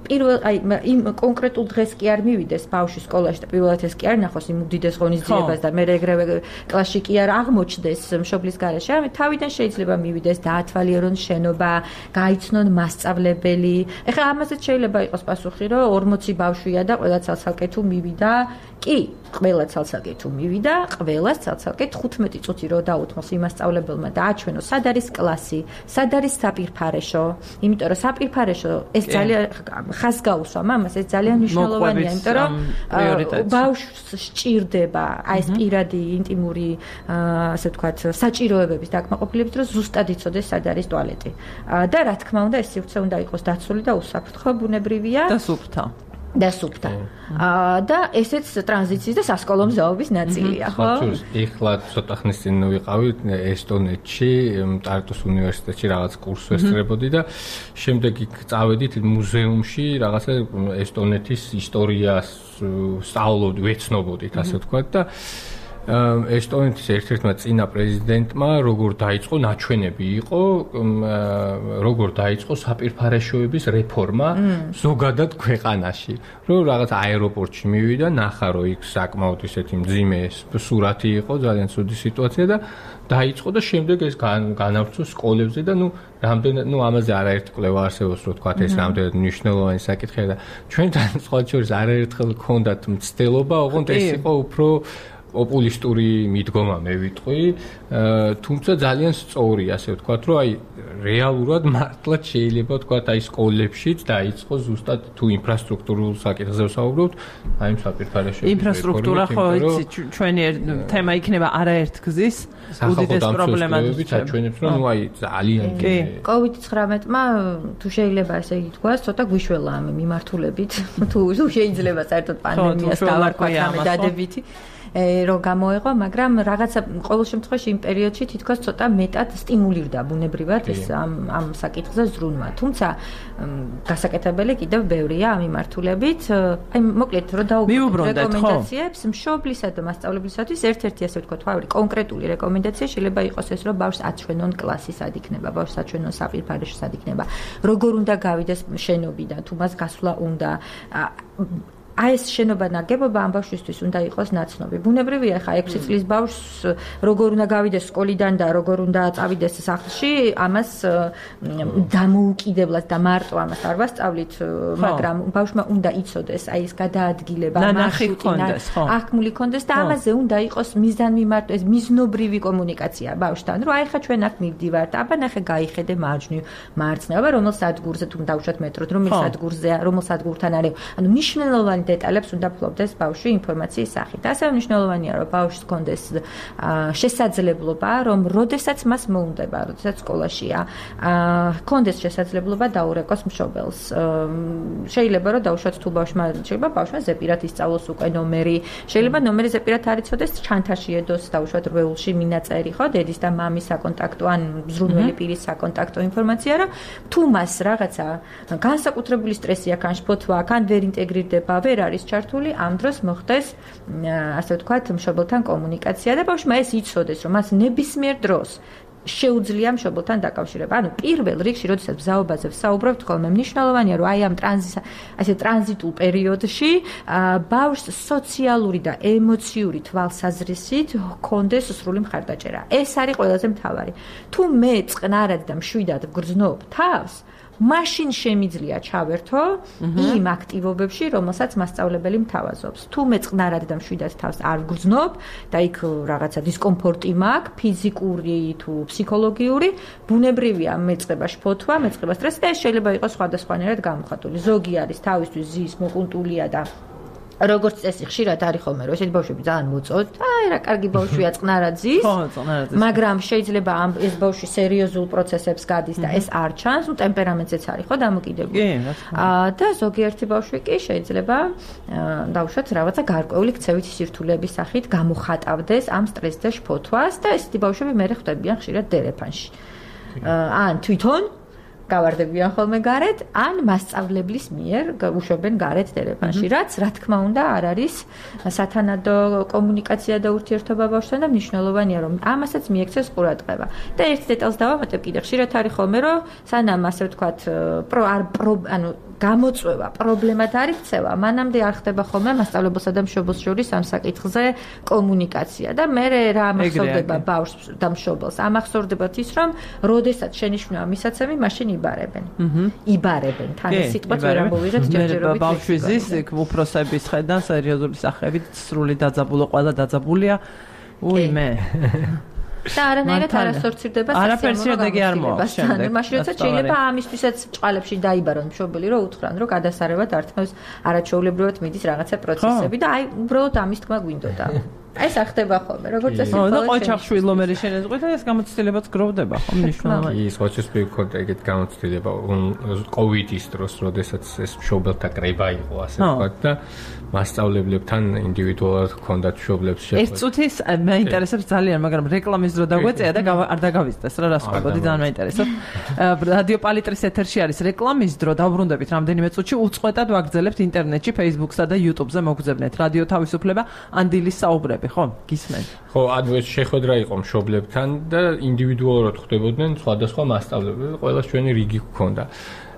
პირველ აი იმ კონკრეტულ დღეს კი არ მივიდეს ბავშვი სკოლაში და პირველად ეს კი არ ნახოს იმ უდიდეს ღონისძიებას და მე ეგრევე კლასში კი არ აღმოჩნდეს მშობლის გარეშე ამით თავიდან შეიძლება მივიდეს დაათვალიერონ შენობა გაიცნონ მასწავლებელი ეხლა ამაზეც შეიძლება იყოს პასუხი რომ ორმოცი ბავშვია და ყველა ცალ-ცალკე თუ მივიდა კი ყველა ცალ-ცალკე თუ მივიდა ყველას ცალ-ცალკე თხუთმეტი წუთი რო დაუთმოს იმასწავლებელმა და აჩვენოს სად არის კლასი სად არის საპირფარეშო იმიტომ რომ საპირფარეშო ეს ძალიან ხას გაუსვა მამას ეს ძალიან მნიშვნელოვანია იმიტომ რომ ბავშვს სჭირდება აი ეს პირადი ინტიმური ასე ვთქვათ საჭიროებების დაკმაყოფილებით რომ ზუსტად იცოდეს სად არის ტუალეტი და რა თქმა უნდა ეს სივრცე უნდა იყოს დაცული და უსაფრთხო ბუნებრივია და სუფთა და სუფთა და ესეც ტრანზიციის და სასკოლო მზაობის ნაწილია ხო? ეხლა ცოტა ხნის წინ ვიყავით ესტონეთში ტარტუს უნივერსიტეტში რაღაც კურსს ვესწრებოდი და შემდეგ იქ წავედით მუზეუმში რაღაცა ესტონეთის ისტორიას სწავლობდი, ვეცნობოდით ასე ვთქვათ და ესტონეთის ერთ-ერთმა წინა პრეზიდენტმა როგორ დაიწყო ნაჩვენები იყო როგორ დაიწყო საპირფარეშოების რეფორმა ზოგადად ქვეყანაში რომ რაღაც აეროპორტში მივიდა ნახა რომ იქ საკმაოდ ისეთი მძიმე სურათი იყო ძალიან ცუდი სიტუაცია და დაიწყო და შემდეგ ეს განავრცო სკოლებზე და ნუ რამდენად ნუ ამაზე არაერთი კვლევა არსებობს რომ თქვა ეს რამდენად მნიშვნელოვანი საკითხია და ჩვენთან სხვა შორის არაერთხელ გქონდათ მცდელობა ოღონდ ეს იყო უფრო პოპულისტური მიდგომა მე ვიტყვი, თუმცა ძალიან სწორი, ასე ვთქვათ, რომ აი რეალურად მართლაც შეიძლება ვთქვათ, აი სკოლებშიც დაიწყო ზუსტად თუ ინფრასტრუქტურულ საკითხზე ვსაუბრობთ, აი საპირფარეშოების ინფრასტრუქტურა ხო იცი ჩვენი თემა იქნება არაერთგზის უდიდეს პრობლემად აჩვენებს, რომ ნუ აი ძალიან კი კოვიდ ცხრამეტმა თუ შეიძლება ასე ითქვას, ცოტა გვიშველა ამ მიმართულებით, თუ შეიძლება საერთოდ პანდემიას დავარქვათ ამ დადებითი რომ გამოეღო, მაგრამ რაღაცა ყოველ შემთხვევაში იმ პერიოდში თითქოს ცოტა მეტად სტიმულირდა ბუნებრივად ეს ამ ამ საკითხზე ზრუნვა. თუმცა გასაკეთებელი კიდევ ბევრია ამ მიმართულებით. აი მოკლედ რომ დაუბრუნდეთ რეკომენდაციებს მშობლისა და მასწავლებლისათვის ერთ-ერთი ასე ვთქვათ, თავი კონკრეტული რეკომენდაცია შეიძლება იყოს ეს, რომ ბავშვს აჩვენონ კლასი სად იქნება, ბავშვს აჩვენონ საპირფარეშო სად იქნება, როგორ უნდა გავიდეს შენობიდან, თუ მას გასვლა უნდა აი ეს შენობა ნაგებობა ამ ბავშვისთვის უნდა იყოს ნაცნობი. ბუნებრივია ხა ექვსი წლის ბავშვს როგორ უნდა გავიდეს სკოლიდან და როგორ უნდა წავიდეს სახლში, ამას დამოუკიდებლად და მარტო ამას არ ვასწავლით, მაგრამ ბავშვმა უნდა იცოდეს აი ეს გადაადგილება, მარშრუტი, აღქმული კონდეს და ამაზე უნდა იყოს მიზანმიმართო, ეს მიზნობრივი კომუნიკაცია ბავშვთან, რომ აი ხა ჩვენ აქ მივდივართ, აბა ნახე გაიხედე მარჯვნივ, მარცხნივ, აბა რომელ სადგურზე თუ დავუშვათ მეტროდ, რომელ სადგურზეა, რომელ სადგურთან არის, ანუ მნიშვნელოვანი დეტალებს უნდა ფლობდეს ბავშვი ინფორმაციის სახით. ასევე მნიშვნელოვანია, რომ ბავშვს ჰქონდეს შესაძლებლობა, რომ როდესაც მას მოუნდება, როდესაც სკოლაშია, ჰქონდეს შესაძლებლობა დაურეკოს მშობელს. შეიძლება რომ დავუშვათ თუ ბავშვმა შეიძლება ბავშვმა ზეპირად ისწავლოს უკვე ნომერი, შეიძლება ნომერი ზეპირად არ იცოდეს, ჩანთაში ედოს დავუშვათ რვეულში მინაწერი, ხო, დედის და მამის საკონტაქტო ან მზრუნველი პირის საკონტაქტო ინფორმაცია, რომ თუ მას რაღაცა განსაკუთრებული სტრესი აქვს, ან შფოთვა აქვს, ან ვერ ინტეგრირდება, ვერ არის ჩართული, ამ დროს მოხდეს ასე ვთქვათ მშობელთან კომუნიკაცია და ბავშვმა ეს იცოდეს, რომ მას ნებისმიერ დროს შეუძლია მშობელთან დაკავშირება. ანუ პირველ რიგში, როდესაც ბზაობაზე ვსაუბრობთ, ხოლმე მნიშვნელოვანია, რომ აი ამ ტრანზიტ ასე ტრანზიტულ პერიოდში ბავშვს სოციალური და ემოციური თვალსაზრისით ჰქონდეს სრული მხარდაჭერა. ეს არის ყველაზე მთავარი. თუ მე წყნარად და მშვიდად ვგრძნობ თავს, მაშინ შემიძლია ჩავერთო იმ აქტივობებში, რომელსაც მასწავლებელი მთავაზობს. თუ მე წყნარად და მშვიდად თავს არ ვგრძნობ და იქ რაღაცა დისკომფორტი მაქვს, ფიზიკური თუ ფსიქოლოგიური, ბუნებრივია მეწყება შფოთვა, მეწყება სტრესი და ეს შეიძლება იყოს სხვადასხვანაირად გამოხატული. ზოგი არის თავისთვის ზის მოყუნტულია და როგორც წესი ხშირად არის ხოლმე რომ ესეთი ბავშვები ძალიან მოწოთ. აი რა კარგი ბავშვია წყნარად ზის. ხო, წყნარად ზის. მაგრამ შეიძლება ამ ეს ბავშვი სერიოზულ პროცესებს გადის და ეს არ ჩანს, ну ტემპერამენტზეც არის ხო დამოკიდებული. აა და ზოგიერთი ბავშვი კი შეიძლება დავუშვათ რაღაცა გარკვეული ქცევითი სირთულეების სახით გამოხატავდეს ამ სტრესს და შფოთვას და ესეთი ბავშვები მე ხვდებიან ხშირად დერეფანში. ან თვითონ გავარდებიან ხოლმე გარეთ, ან მასწავლებლის მიერ უშვებენ გარეთ დერეფანში, რაც რა თქმა უნდა არ არის სათანადო კომუნიკაცია და ურთიერთობა ბავშვთან და მნიშვნელოვანია, რომ ამასაც მიექცეს ყურადღება. და ერთ დეტალს დავამატებ კიდე, ხშირად არის ხოლმე, რომ სანამ ასე ვთქვათ, პრო არ ანუ გამოწვევა პრობლემად არ იქცევა, მანამდე არ ხდება ხოლმე მასწავლებელსა და მშობელს შორის ამ საკითხზე კომუნიკაცია და მე რა ამახსოვდება ბავშვს და მშობელს. ამახსოვდებათ ის, რომ როდესაც შენიშვნაა მისაცემი, მაშინ იბარებენ. იბარებენ. თან ეს სიტყვაც ვერ ამოვიღეთ ჯერჯერობით. ბავშვის ის უფროსების ხედან სერიოზული სახებით სრული დაძაბულო, ყველა დაძაბულია. უი მე და არანაირად არ ასორცირდება სასიამოვნო შემდეგ. მაშინ როდესაც შეიძლება ამისთვისაც ჭყალებში დაიბარონ მშობელი, რომ უთხრან, რომ გადასარევად ართმევს არაჩვეულებრივად მიდის რაღაცა პროცესები და აი უბრალოდ ამის თქმა გვინდოდა. აი ეს ახდება ხოლმე, როგორც წესი. ხო, და ყოჩახშვილო მე შენეზღვით და ეს გამოცდილებაც გროვდება, ხო, მნიშვნელოვანია. ის ყოჩახშვილ ქონდა ეგეთ გამოცდილება კოვიდის დროს, როდესაც ეს მშობელთა კრება იყო, ასე ვთქვათ და მასწავლებლებთან ინდივიდუალურად ჰქონდათ მშობლებს შეხვედრა. ეს წუთის მაინტერესებს ძალიან, მაგრამ რეკლამის დრო დაგვეწია და არ დაგავიწყდეს რა რას ხვდებოდი, ძალიან მაინტერესებს. რადიო პალიტრის ეთერში არის რეკლამის დრო, დავბრუნდებით რამდენიმე წუთში, უწყვეტად ვაგრძელებთ ინტერნეტში, Facebook-სა და YouTube-ზე მოგზავნეთ რადიო თავისუფლება, ანდილის საუბრები. ვარყოფი, ხო? გისმენ. ხო, ანუ ეს შეხვედრა იყო მშობლებთან და ინდივიდუალურად ხვდებოდნენ სხვადასხვა მასწავლებლები, ყველას ჩვენი რიგი გქონდა.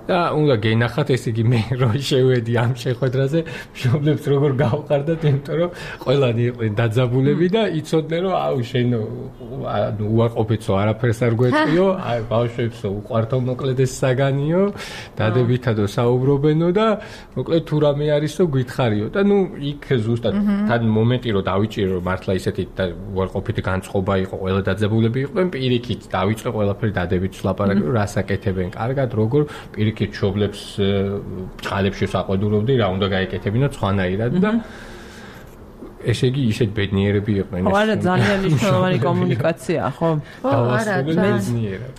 და უნდა გენახათ, ესე იგი მე რო შევედი ამ შეხვედრაზე, მშობლებს როგორ გავყარდათ, იმიტომ რომ ყველანი იყვნენ დაძაბულები და იცოდნენ რომ აუ შენ ანუ უარყოფითო არაფერს არ გვეტყვიო, აი ბავშვებსო უყვართო მოკლედ ეს საგანიო, დადებითადო საუბრობენო და მოკლედ თუ რამე არისო გითხარიო და ნუ იქ ზუსტად თან მომენტი რომ დავიჭირო რომ მართლა ისეთი უარყოფითი განწყობა იყო, ყველა დაძაბულები იყვნენ, პირიქით დავიწყე ყველაფერი დადებით ლაპარაკი, რომ რას აკეთებენ კარგად, როგორ პირიქით ჩობლებს წყალებში საყვედურობდი, რა უნდა გაეკეთებინა სხვანაირად და ესე იგი ისეთ ბედნიერები იყვნენ ეს. ხო, არა, ძალიან მნიშვნელოვანი კომუნიკაცია, ხო? ხო, არა,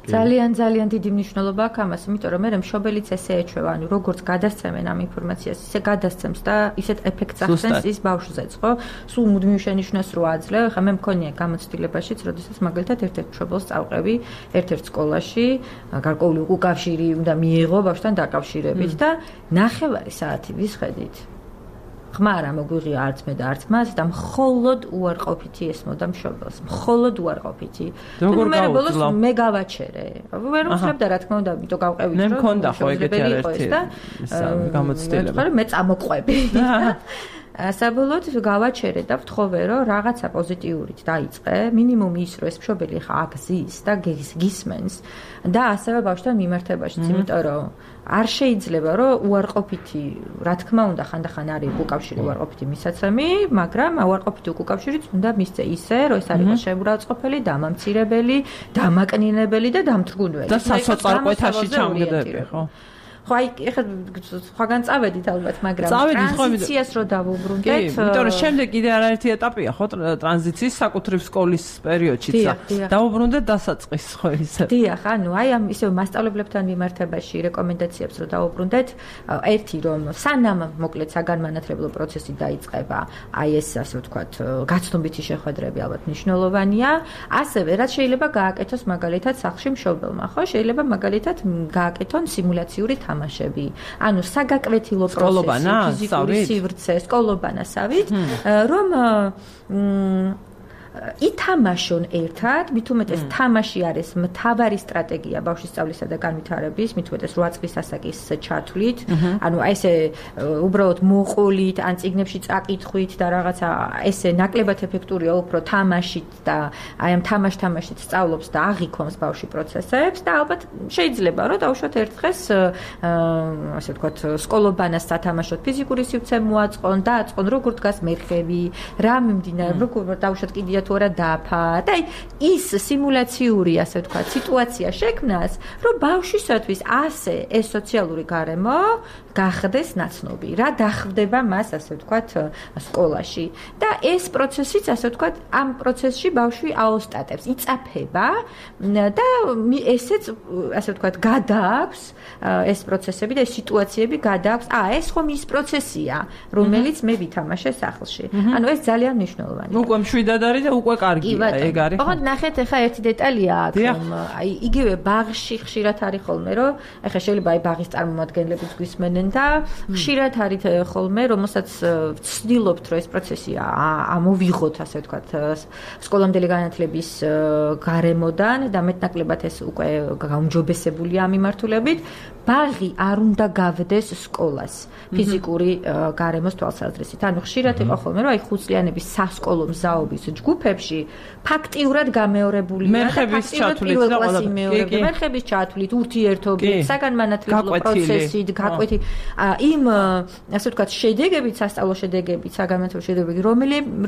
ძალიან ძალიან დიდი მნიშვნელობა აქვს ამას, იმიტომ რომ მე მშობელიც ესე ეჩვევა, ანუ როგორც გადასცემენ ამ ინფორმაციას, ისე გადასცემს და ისეთ ეფექტს ახდენს ის ბავშვზეც, ხო? სულ მუდმივ შენიშვნას რო აძლევ, ხა მე მქონია გამოცდილებაშიც, როდესაც მაგალითად ერთ-ერთ მშობელს წავყევი ერთ-ერთ სკოლაში, გარკვეული უკავშირი უნდა მიიღო ბავშვთან დაკავშირებით და ნახევარი საათი ვისხედით. ხმა არ მოგვიღია არც მე და არც მას და მხოლოდ უარყოფითი ესმოდა მშობელს, მხოლოდ უარყოფითი. როგორ გავუძლო? მე გავაჩერე. ვერ უძლებდა რა თქმა უნდა, იმიტომ გავყევით რომ მე მქონდა ხო ეგეთი არერთი გამოცდილება. ხო, მე წამოყვები. საბოლოოდ გავაჩერე და ვთხოვე რომ რაღაცა პოზიტიურით დაიწყე, მინიმუმ ის რომ ეს მშობელი ხა აგზის და გისმენს და ასევე ბავშვთან მიმართებაშიც, იმიტომ რომ არ შეიძლება რომ უარყოფითი, რა თქმა უნდა, ხანდახან არის უკავშირი უარყოფითი მისაცემი, მაგრამ უარყოფითი უკავშირიც უნდა მისცე ისე, რომ ეს არ იყოს შემურაცხყოფელი, დამამცირებელი, დამაკნინებელი და დამთრგუნველი. და სასოწარკვეთაში ჩამგდები, ხო? ხო, აი, ეხლა სხვაგან წავედით ალბათ, მაგრამ ტრანზიციას რო დავუბრუნდეთ. კი, იმიტომ რომ შემდეგ კიდე არაერთი ეტაპია, ხო, ტრანზიციის საკუთრივ სკოლის პერიოდშიც. დავუბრუნდეთ დასაწყის, ხო ისე. დიახ, ანუ აი ამ ისევ მასწავლებლებთან მიმართებაში რეკომენდაციებს რო დავუბრუნდეთ, ერთი რომ სანამ მოკლედ საგანმანათლებლო პროცესი დაიწყება, აი ეს ასე ვთქვათ, გაცნობითი შეხვედრები ალბათ მნიშვნელოვანია. ასევე რაც შეიძლება გააკეთოს მაგალითად სახლში მშობელმა, ხო? შეიძლება მაგალითად გააკეთონ სიმულაციური თამაშები. ანუ საგაკვეთილო პროცესი, ფიზიკური სივრცე, სკოლობანასავით, რომ ითამაშონ ერთად, მით უმეტეს თამაში არის მთავარი სტრატეგია ბავშვის სწავლისა და განვითარების, მით უმეტეს რვა წლის ასაკის ჩათვლით, ანუ აი ესე უბრალოდ მოყოლით, ან წიგნებში წაკითხვით და რაღაცა ესე ნაკლებად ეფექტურია უფრო თამაშით და აი ამ თამაშ-თამაშით სწავლობს და აღიქონს ბავშვი პროცესებს და ალბათ შეიძლება რომ დავუშვათ ერთ დღეს ასე ვთქვათ სკოლობანას სათამაშოდ ფიზიკური სივრცე მოაწყონ და აწყონ როგორ დგას მერხევი, რა მიმდინარეობს, როგორ დავუშვათ კიდია თუ არა დაფა და ის სიმულაციური ასე ვთქვათ სიტუაცია შექმნას, რომ ბავშვისათვის ასე ეს სოციალური გარემო გახდეს ნაცნობი, რა დახვდება მას ასე ვთქვათ სკოლაში და ეს პროცესიც ასე ვთქვათ ამ პროცესში ბავშვი აოსტატებს, იწაფება და ესეც ასე ვთქვათ გადააქვს ეს პროცესები და ეს სიტუაციები გადააქვს, აა ეს ხომ ის პროცესია, რომელიც მე ვითამაშე სახლში. ანუ ეს ძალიან მნიშვნელოვანია. უკვე მშვიდად არის და უკვე კარგია, ეგ არის. ხო, ნახეთ, ეხა ერთი დეტალია აქ, აი იგივე ბაღში ხშირად არის ხოლმე, რომ ეხა შეიძლება აი ბაღის წარმომადგენლებიც გვისმენენ და ხშირად არის ხოლმე, რომელსაც ვცდილობთ, რომ ეს პროცესი ამოვიღოთ, ასე ვთქვათ, სკოლამდელი განათლების გარემოდან და მეტნაკლებად ეს უკვე გაუმჯობესებულია ამ მიმართულებით, ბაღი არ უნდა გავდეს სკოლას ფიზიკური გარემოს თვალსაზრისით. ანუ ხშირად იყო ხოლმე, რომ აი ხუთწლიანების სასკოლო მზაობის ჯგუფებში ფაქტიურად გამეორებულია და ფაქტიურად პირველ კლასში მეორდება, მერხების ჩათვლით, ურთიერთობით, საგანმანათლებლო პროცესით, გაკვეთი იმ ასე ვთქვათ შედეგებით, სასწავლო შედეგებით, საგანმანათლებლო შედეგებით,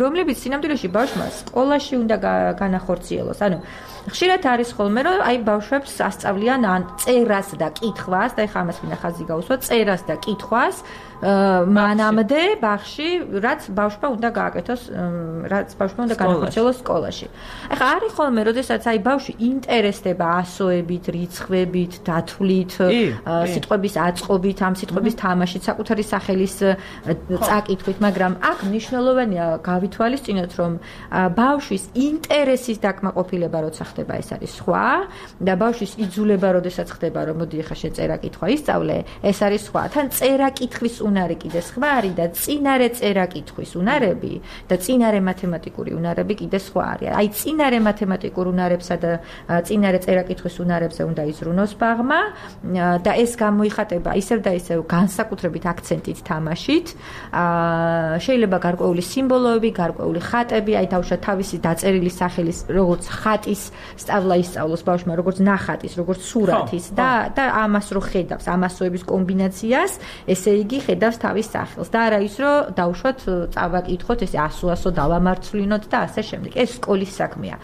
რომლებიც სინამდვილეში ბავშვმა სკოლაში უნდა განახორციელოს. ანუ ხშირად არის ხოლმე, რომ აი ბავშვებს ასწავლიან ან წერას და კითხვას და ეხლა ამას მინდა ხაზი გაუსვა, წერას და კითხვას მანამდე ბაღში, რაც ბავშვმა უნდა გააკეთოს, რაც ბავშვმა უნდა განახორციელოს სკოლაში. ეხლა არის ხოლმე, როდესაც აი ბავშვი ინტერესდება ასოებით, რიცხვებით, დათვლით, სიტყვების აწყობით, ამ სიტყვების თამაშით, საკუთარი სახელის წაკითხვით, მაგრამ აქ მნიშვნელოვანია გავითვალისწინოთ, რომ ბავშვის ინტერესის დაკმაყოფილება როცა ხდება, ეს არის სხვა და ბავშვის იძულება, როდესაც ხდება, რომ მოდი ეხლა შენ წერა-კითხვა ისწავლე, ეს არის სხვა. თან წერა-კითხვის უნარი კიდე სხვა არის და წინარე წერა-კითხვის უნარები და წინარე მათემატიკური უნარები კიდე სხვა არის. აი წინარე მათემატიკურ უნარებსა და წინარე წერა-კითხვის უნარებზე უნდა იზრუნოს ბაღმა და ეს გამოიხატება ისევ და ისევ განსაკუთრებით აქცენტით თამაშით. შეიძლება გარკვეული სიმბოლოები, გარკვეული ხატები, აი თავშა თავისი დაწერილი სახელის როგორც ხატის სწავლა ისწავლოს ბავშვმა, როგორც ნახატის, როგორც სურათის და და ამას რო ხედავს, ამასოების კომბინაციას, ესე იგი ხედავს თავის სახელს და არა ის რომ დავუშვათ წავაკითხოთ, ესე ასო-ასო დავამარცვლინოთ და ასე შემდეგ. ეს სკოლის საქმეა.